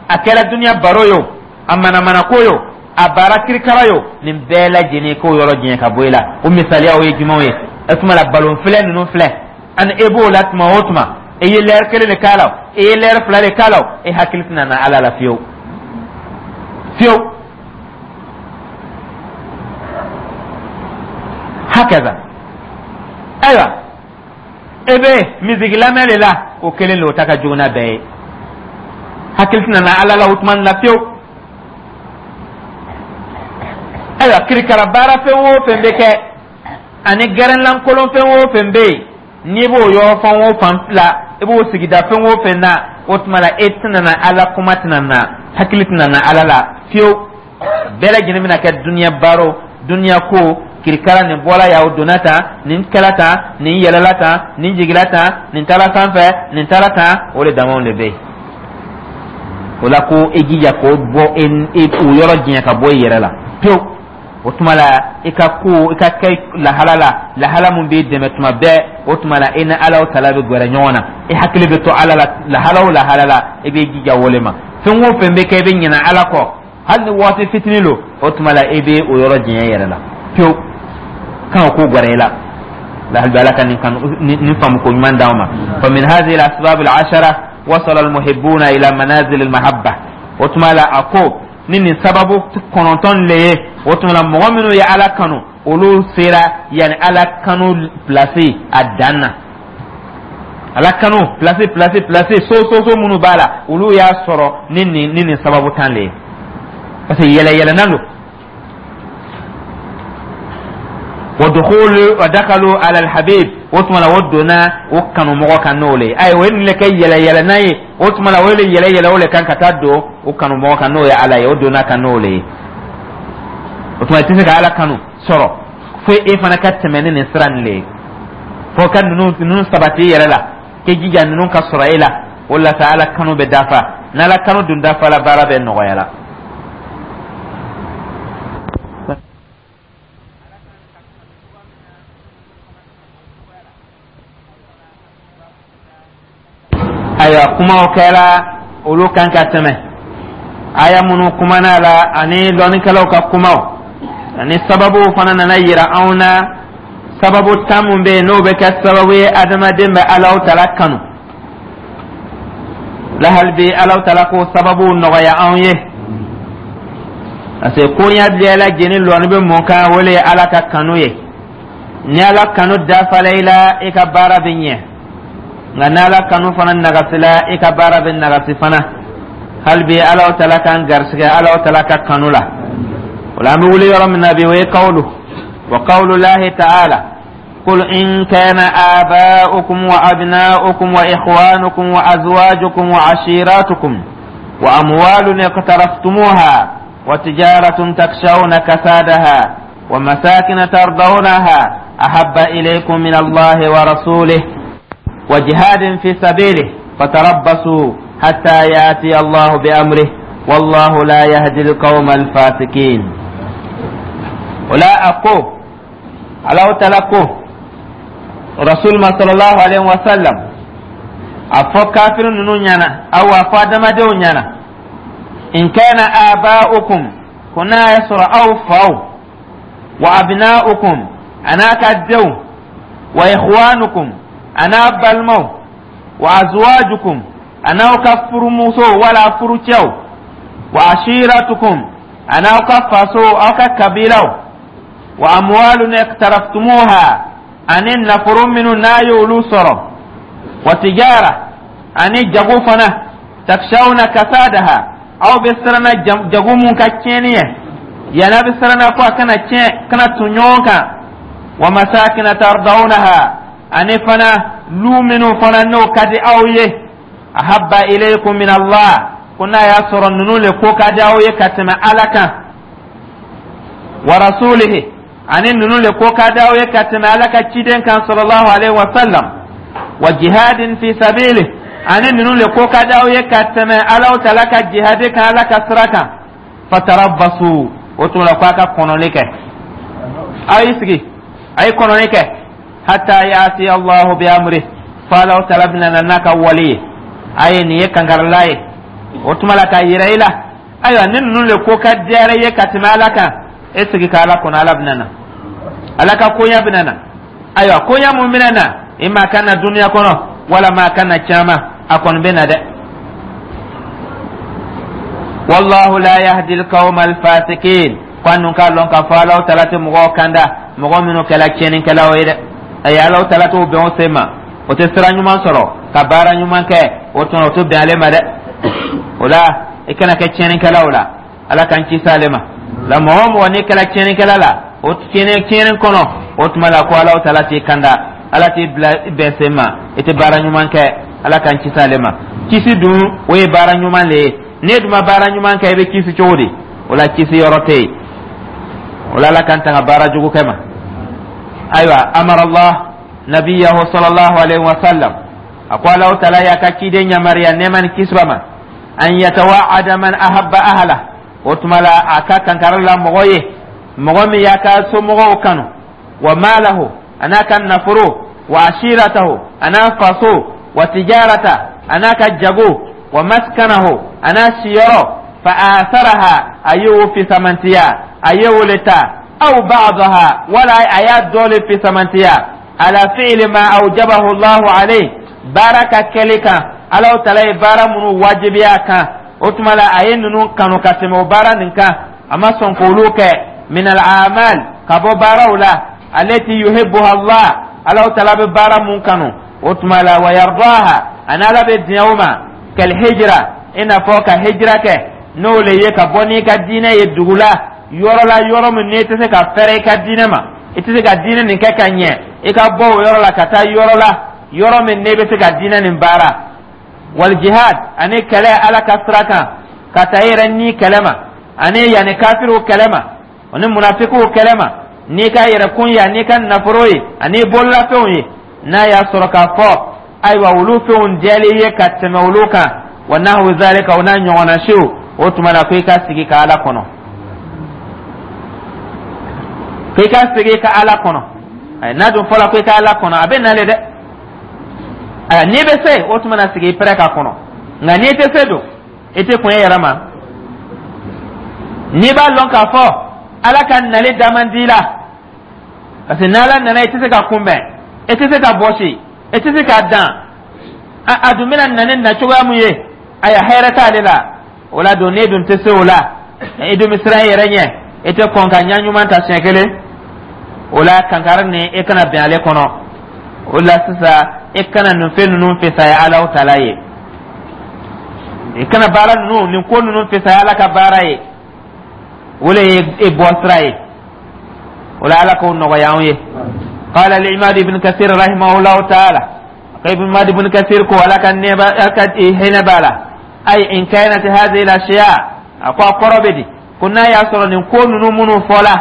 S1: a kɛra duniya baro ye o, a manamanako ye o, a baara kirikara ye o, nin bɛɛ lajɛlen, k'o yɔrɔ janya ka bɔ i la. O misaliyaw ye jumɛnw ye? O tuma la, balon filɛ ninnu filɛ, ani e b'o la tuma o tuma, e ye lɛri kelen de k'a la o, e ye lɛri 2 de k'a la o, e hakili tɛna na Ala la fiyewu fiyewu. Hakaza. Ayiwa, e bɛ misiki lamɛn de la, o kelen de, o ta ka jugu n'a bɛɛ ye. Hakili tɛna na Ala la o tuma la fiyewu. Ayiwa, kirikara baara fɛn o fɛn bɛ kɛ, ani gɛrɛnlankolon fɛn o fɛn bɛ yen, n'i b'o yɔrɔ fan o fan la, i b'o sigida fɛn o fɛn na, o tuma la, e tɛna na Ala kuma tɛna na, hakili tɛna na Ala la fiyewu. Bɛɛ lajɛlen bɛna kɛ duniya baaro, duniya ko kirikara. Nin bɔra yan, o donna tan, nin kɛla tan, nin yɛlɛla tan, nin jigila tan, nin taara sanfɛ, nin taara tan, o de damaw de bɛ yen. O la ko e jija k'o bɔ e o yɔrɔ janya ka bɔ i yɛrɛ la pewu. O tuma la, i ka ko i ka kɛ lahala la, lahala mun b'i dɛmɛ tuma bɛɛ. O tuma la, i ni Ala tala bɛ gɛrɛ ɲɔgɔn na, i hakili bɛ to Ala la lahala o lahala la. I b'i jija o le ma. Fɛn o fɛn bɛ kɛ, i bɛ ɲinɛ Ala kɔ, hali ni waati fitinin lo, o tuma la i bɛ o yɔrɔ janya i yɛrɛ la pewu, kan ko gɛrɛ i la. La hali Ala ka nin kan nin faamu ko ɲuman d'anw ma. Fa min hadhihi al-asbab al-ashara wasala al-muhibbuna ila manazil al-mahabba. O tuma la, a ko ni nin sababu 9 le ye, o tuma la mɔgɔ minnu ye Ala kanu, olu sera yanni Ala kanu place a dan na. Ala kanu place, place, place, so so so minnu b'a la, olu y'a sɔrɔ ni nin sababu 10 le ye, parce que yɛlɛ yɛlɛnna don. Wa dukhulu wa dakalu ala alhabib, o tuma la o donna o kanumɔgɔ kan n'o le ye. Ayi, o ye nin le kɛ yɛlɛ yɛlɛnna ye. O tuma la o le yɛlɛ yɛlɛ o le kan ka taa don o kanumɔgɔ kan, n'o ye Ala ye. O donna kan n'o le ye. O tuma i tɛ se ka Ala kanu sɔrɔ fo e fana ka tɛmɛ ni nin sira nin le ye, fo ka ninnu sabati i yɛrɛ la, k'i jija ninnu ka sɔrɔ e la. O la sa, Ala kanu bɛ dafa. N'Ala kanu dun dafa la, baara bɛ nɔgɔya la. Ayiwa, kumaw kɛra olu kan ka tɛmɛ, aya minnu kumana la ani lɔnnikɛlaw ka kumaw ani sababuw fana nana yira anw na. Sababu 10 mun bɛ yen, n'o bɛ kɛ sababu ye adamaden bɛ Alaw tala kanu la, hali bi Alaw tala k'o sababuw nɔgɔya anw ye, parce que koɲa bɛɛ lajɛlen lɔnni bɛ mun kan? O le ye Ala ka kanu ye. Ni Ala kanu dafala i la, i ka baara bɛ ɲɛ, nka ni Ala kanu fana nagasila, i ka baara bɛ nagasi fana. Hali bi Alaw tala k'an garisigɛ Alaw tala ka kanu la. O la, an bɛ wuli yɔrɔ min na bi, o ye kawulu wa qawlu lahi ta'ala: قل إن كان آباؤكم وأبناؤكم وإخوانكم وأزواجكم وعشيراتكم وأموال اقترفتموها وتجارة تخشون كسادها ومساكن ترضونها أحب إليكم من الله ورسوله وجهاد في سبيله فتربصوا حتى يأتي الله بأمره والله لا يهدي القوم الفاسقين. ولا أقول على تلقوا رسول ما صلى الله عليه وسلم a fɔ kafiri ninnu ɲɛna aw a fɔ adamadenw ɲɛna: in kana aba'ukum, ko n'a y'a sɔrɔ aw faw, wa abna'ukum, a n'a ka denw, wa ikhwanukum, a n'a balimaw, wa azwajukum, a n'aw ka furumusow wala furucɛw, wa ashiratukum, a n'aw ka faso, aw ka kabilaw, wa amwalun iqtaraftumuha, ani nafolo minnu n'a y'olu sɔrɔ, wa tijara, ani jago fana, takshawna kasadaha, aw bɛ siranna jago mun ka tiɲɛni ye, yanni a bɛ siranna ko a kana tiɲɛ, kana tun ɲɔgɔn kan, wa masakina tardawnaha, ani fana lu minnu fana n'o ka di aw ye, ahabba ilaykum min Allah, ko n'a y'a sɔrɔ ninnu le ko ka di aw ye ka tɛmɛ Ala kan, wa rasulihi, ani ninnu le ko ka di aw ye ka tɛmɛ Ala ka ciden kan sallallahu alaihi wa sallam, wa jihadin fi sabili, ani ninnu le ko ka di aw ye ka tɛmɛ Alaw tala ka jihadi kan Ala ka sira kan, fatarabbasu, o tuma la ko a ka kɔnɔli kɛ, aw y'i sigi, a ye kɔnɔli kɛ, hatta yati Allahu bi amri, fo Alaw tala bɛna na n'a ka wale ye. A ye nin ye kankarila ye. O tuma la k'a yira i la, ayiwa, ni ninnu le ko ka diyara i ye ka tɛmɛ Ala kan, e sigi ka Ala kɔnɔ, Ala bɛna na, Ala ka koɲa bɛna na. Ayiwa, koɲa mun bɛna na i ma, ka na duniya kɔnɔ wala ma ka na caman, a kɔni bɛ na dɛ. Wallahu la yahdi alqawma alfasikin. Ko an k'a lɔn k'a fɔ Alaw tala tɛ mɔgɔw kanda, mɔgɔ minnu kɛla tiɲɛnikɛlaw ye dɛ. Ayi, Alaw tala t'o bɛn o sen ma, o tɛ sira ɲuman sɔrɔ ka baara ɲuman kɛ, o tuma o tɛ bɛn ale ma dɛ. O la, i kana kɛ tiɲɛnikɛlaw la. Ala k'an kisi ale ma la. Mɔgɔ o mɔgɔ n'i kɛra tiɲɛnikɛla la, o tiɲɛni tiɲɛni kɔnɔ, o tuma la ko Alaw tala t'i kanda, Ala t'i bila bɛn sen ma, i tɛ baara ɲuman kɛ. Ala k'an kisi ale ma. Kisi dun, o ye baara ɲuman le ye. N'e dun ma baara ɲuman kɛ, i bɛ kisi cogo di? O la kisi yɔrɔ tɛ yen. O la, Ala k'an tanga baara jugu kɛ ma. Ayiwa, amara Allah nabiyahu sallallahu alaihi wa sallam, a ko Alahu Taala y'a ka ciden yamaruya, nɛɛma ni kisi b'a ma, an yatawa'ada man ahabba ahla. O tuma la, a ka kankari la mɔgɔ ye, mɔgɔ min y'a ka somɔgɔw kanu, wa malahu, a n'a ka nafolo, wa ashiratahu, a n'a faso, wa tijarata, a n'a ka jago, wa maskanahu, a n'a siyɔrɔ, fa asaraha, a y'o fisamantiya, a y'o le ta, aw ba'daha, wala a y'a dɔ le fisamantiya, ala fi'li ma awjabahu Allahu alayhi, baara ka kɛli kan, Alahu Taala ye baara minnu wajibiya a kan. O tuma la, a ye ninnu kanu ka tɛmɛ o baara nin kan, a ma sɔn k'olu kɛ, min al amal, ka bɔ baaraw la, alati yuhibbuha Allah, Alahu Taala bɛ baara mun kanu. O tuma la, wa yardaha, ani Ala bɛ diɲɛ o ma, kal hijra, i n'a fɔ ka hijira kɛ, n'o le ye ka bɔ n'i ka diinɛ ye dugu la, yɔrɔ la, yɔrɔ min n'i tɛ se ka fɛrɛ i ka diinɛ ma, i tɛ se ka diinɛ nin kɛ ka ɲɛ, i ka bɔ o yɔrɔ la ka taa yɔrɔ la, yɔrɔ min n'e bɛ se ka diinɛ nin baara. Wal jihad, ani kɛlɛ Ala ka sira kan, ka taa i yɛrɛ ni kɛlɛ ma, ani yanni kafiriw kɛlɛ ma, ani munafikiw kɛlɛ ma, n'i ka yɛrɛkun ye, n'i ka nafolo ye, ani bololafɛnw ye, n'a y'a sɔrɔ k'a fɔ ayiwa, olu fɛnw diyalen ye ka tɛmɛ olu kan, wa nahwu zalika, o n'a ɲɔgɔnna siw. O tuma na, ko i ka sigi ka Ala kɔnɔ, ko i ka sigi ka Ala kɔnɔ. N'a dun fɔla ko i ka Ala kɔnɔ, a bɛ nale dɛ. Ayiwa, n'i bɛ se, o tuma na sigi i pɛrɛ k'a kɔnɔ. Nka n'i tɛ se dun, i tɛ kun e yɛrɛ ma. N'i b'a lɔn k'a fɔ Ala ka nali da man di la, parce que n'Ala nana, i tɛ se ka kunbɛn, i tɛ se ka bɔsi, i tɛ se k'a dan. A dun bɛna na ni na cogoya mun ye, ayiwa, hɛrɛ t'ale la. O la don, n'e dun tɛ se o la, i dun bɛ siran i yɛrɛ ɲɛ, i tɛ kɔn ka ɲa ɲuman ta siɲɛ kelen. O la, kankari nin, e kana bɛn ale kɔnɔ. O la sisan, e kana nin fɛn ninnu fisaya Alahu Taala ye, i kana baara ninnu, nin ko ninnu fisaya Ala ka baara ye. O le ye e bɔ sira ye. O la, Ala k'o nɔgɔya anw ye. Qala al-imam Ibn Kathir rahimahullahu ta'ala, Ibn Imad Ibn Kathir ko, Ala ka nɛba, Ala ka hinɛ b'a la, ay in kanat hadhihi al-ashya, a ko a kɔrɔ bɛ di ko n'a y'a sɔrɔ nin ko ninnu minnu fɔla,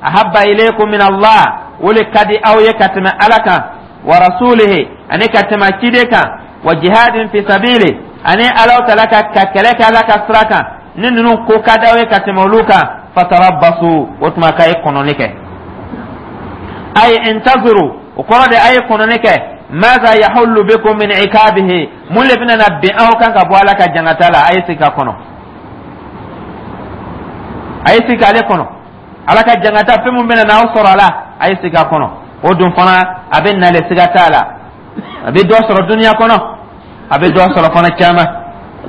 S1: ahabba ilaykum min Allah, o le ka di aw ye ka tɛmɛ Ala kan, wa rasulihi, ani ka tɛmɛ ciden kan, wa jihadin fi sabili, ani Ala Taala ka kɛlɛ kɛ Ala ka sira kan, ni ninnu ko ka di aw ye ka tɛmɛ olu kan, fatarabbasu, o tuma k'a ye kɔnɔni kɛ, ay intaziru, o kɔrɔ de a ye kɔnɔni kɛ, maza yahullu bikum min ikabihi, mun le bɛna na bin aw kan ka bɔ Ala ka jangata la. A ye sigi ka kɔnɔ, a ye sigi k'ale kɔnɔ, Ala ka jangata, fɛn mun bɛna n'aw sɔrɔ a la, a ye sigi a kɔnɔ. O dun fana, a bɛ nale, siga t'a la. A bɛ dɔ sɔrɔ duniya kɔnɔ, a bɛ dɔ sɔrɔ fana caman.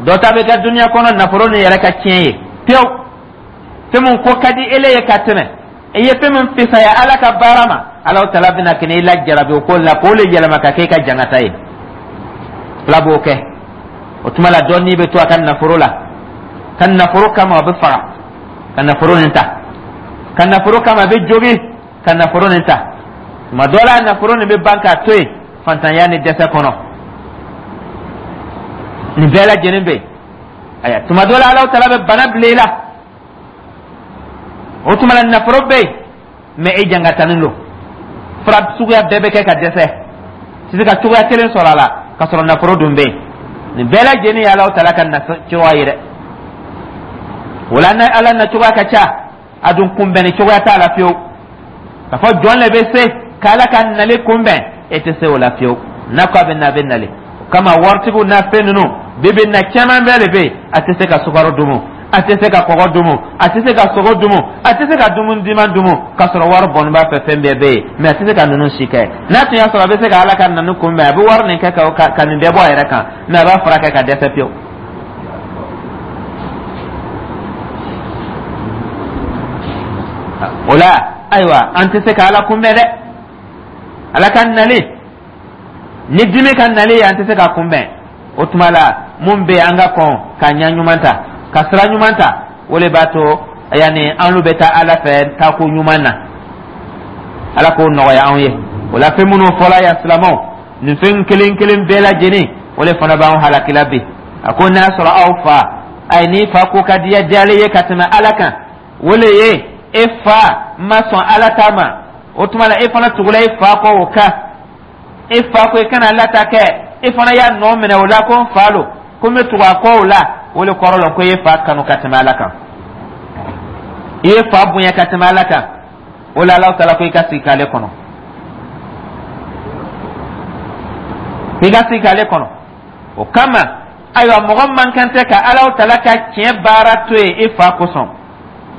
S1: Dɔ ta bɛ kɛ duniya kɔnɔ, nafolo nin yɛrɛ ka tiɲɛ ye pewu. Fɛn mun ko ka di ele ye ka tɛmɛ, i ye fɛn min fisaya Ala ka baara ma, Ala Taala bɛna kɛ i lajarabi o ko la, k'o le yɛlɛma ka kɛ i ka jangata ye. Ala b'o kɛ. O tuma la, dɔ n'i bɛ to a ka nafolo la, ka nafolo kama a bɛ faga ka nafolo nin ta, ka nafolo kama a bɛ jogi ka nafolo nin ta. Tuma dɔ la, nafolo nin bɛ ban k'a to yen fantanya ni dɛsɛ kɔnɔ. Nin bɛɛ lajɛlen bɛ yen. Ayiwa, tuma dɔ la, Ala Taala bɛ bana bila i la. O tuma la, nafolo bɛ yen, mɛ e jangatanin don, fura suguya bɛɛ bɛ kɛ ka dɛsɛ, tɛ se ka cogoya kelen sɔrɔ a la, ka sɔrɔ nafolo dun bɛ yen. Nin bɛɛ lajɛlen ye Ala Taala ka na cogoya ye dɛ. O la, Ala na cogoya ka ca, a dun kunbɛnni cogoya t'a la fiyewu. K'a fɔ jɔn le bɛ se k'Ala ka nali kunbɛn, e tɛ se o la fiyewu. N'a ko a bɛ na, a bɛ nali. O kama, waritigiw n'a fɛn ninnu, bi bi na, caman bɛɛ de bɛ yen, a tɛ se ka sukaro dumu, a tɛ se ka kɔgɔ dumu, a tɛ se ka sogo dumu, a tɛ se ka dumuni diman dumu, k'a sɔrɔ wari bɔnni b'a fɛ, fɛn bɛɛ bɛ yen, mɛ a tɛ se ka ninnu si kɛ. N'a tun y'a sɔrɔ a bɛ se ka Ala ka nani kunbɛn, a bɛ wari nin kɛ ka nin bɛɛ bɔ a yɛrɛ kan, mɛ a b'a furakɛ ka dɛsɛ pewu. O la, ayiwa, an tɛ se ka Ala kunbɛn dɛ. Ala ka nali ni dimi ka nali ye, an tɛ se ka kunbɛn. O tuma la, mun bɛ an ka kɔn ka ɲa ɲuman ta, ka sira ɲuman ta, o le b'a to yanni an bɛ taa Ala fɛ taako ɲuman na. Ala k'o nɔgɔya anw ye. O la, fɛn minnu fɔla yan, silamɛw, nin fɛn kelen kelen bɛɛ lajɛlen, o le fana b'anw halakila bi. A ko n'a sɔrɔ aw fa, ayi, n'i fa ko ka diya diyalen ye ka tɛmɛ Ala kan. O le ye e fa ma sɔn Ala ta ma, o tuma la e fana tugula e fa kɔ o kan. E fa ko i kana Ala ta kɛ, e fana y'a nɔ minɛ o la ko n fa lo, ko n bɛ tugu a kɔ o la. O le kɔrɔ la ko i ye fa kanu ka tɛmɛ Ala kan, i ye fa bonya ka tɛmɛ Ala kan. O la Alahu Taala ko i ka sigi k'ale kɔnɔ, i ka sigi k'ale kɔnɔ. O kama, ayiwa, mɔgɔ man kan tɛ ka Alahu Taala ka tiɲɛ baara to yen e fa kosɔn.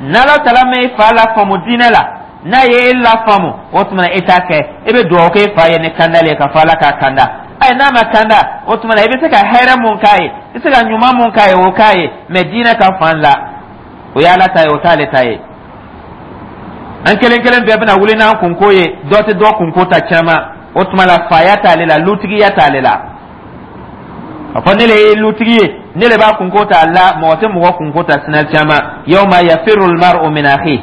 S1: N'Alahu Taala ma e fa lafaamu diinɛ la, n'a ye e lafaamu, o tuma na e t'a kɛ. E bɛ dugawu kɛ e fa ye ni kandali ye, ka fɔ Ala k'a kanda. Ayi, n'a ma kanda, o tuma na i bɛ se ka hɛrɛ mun k'a ye, i bɛ se ka ɲuman mun k'a ye, o k'a ye. Mɛ diinɛ ka fan la, o ye Ala ta ye, o t'ale ta ye. An kelen kelen bɛɛ bɛna wuli n'an kunko ye, dɔ tɛ dɔ kunko ta caman. O tuma la faya t'ale la, lutigiya t'ale la. A fɔ ne le ye lutigi ye, ne le b'a kunko ta la. Mɔgɔ tɛ mɔgɔ kunko ta sina caman. Yawma yafirru almar'u min akhi,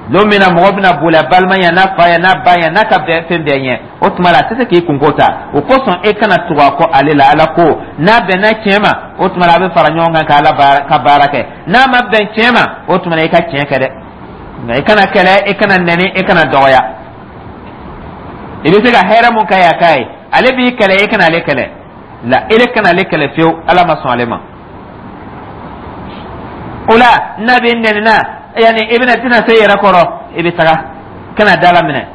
S1: don min na mɔgɔ bɛna boli a balima ɲɛ, n'a fa ɲɛ, n'a ba ɲɛ, n'a ka bɛɛ fɛn bɛɛ ɲɛ. O tuma la a tɛ se k'i kunko ta. O kosɔn e kana tugu a kɔ ale la. Ala ko n'a bɛnna tiɲɛ ma, o tuma la a bɛ fara ɲɔgɔn kan ka Ala ka baara kɛ. N'a ma bɛn tiɲɛ ma, o tuma la i ka tiɲɛ kɛ dɛ, nka i kana kɛlɛ, i kana nɛni, i kana dɔgɔya. I bɛ se ka hɛrɛ mun k'a ye, a k'a ye. Ale b'i kɛlɛ, i kana ale kɛlɛ la, ele kana ale kɛlɛ fiyewu. Ala ma sɔn ale ma. O la n'a bɛ nɛni na, yanni i bɛna tɛna se i yɛrɛ kɔrɔ, i bɛ taga kana da la minɛ,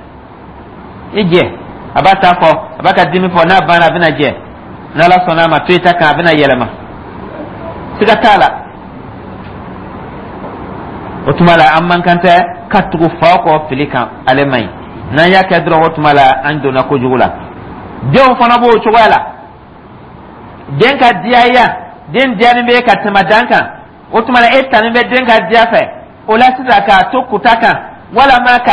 S1: i jɛ. A b'a ta fɔ, a b'a ka dimi fɔ, n'a banna, a bɛna jɛ. N'Ala sɔnna a ma, to i ta kan, a bɛna yɛlɛma, siga t'a la. O tuma la an man kan tɛ ka tugu fa kɔ fili kan, ale man ɲi. N'an y'a kɛ dɔrɔn, o tuma la an donna kojugu la. Denw fana b'o cogoya la. Den ka diyaya, den diyalen bɛ ka tɛmɛ dan kan, o tuma la e tani bɛ den ka diya fɛ. O la sisan k'a to kuta kan, walama ka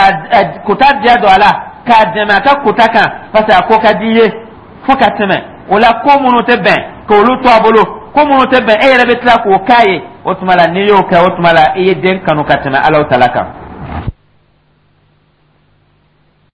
S1: kuta diya don a la, k'a dɛmɛ a ka kuta kan, parce que a ko ka di i ye fo ka tɛmɛ. O la ko minnu tɛ bɛn, k'olu to a bolo, ko minnu tɛ bɛn, e yɛrɛ bɛ tila k'o k'a ye. O tuma la n'i y'o kɛ, o tuma la i ye den kanu ka tɛmɛ Alahu Taala kan.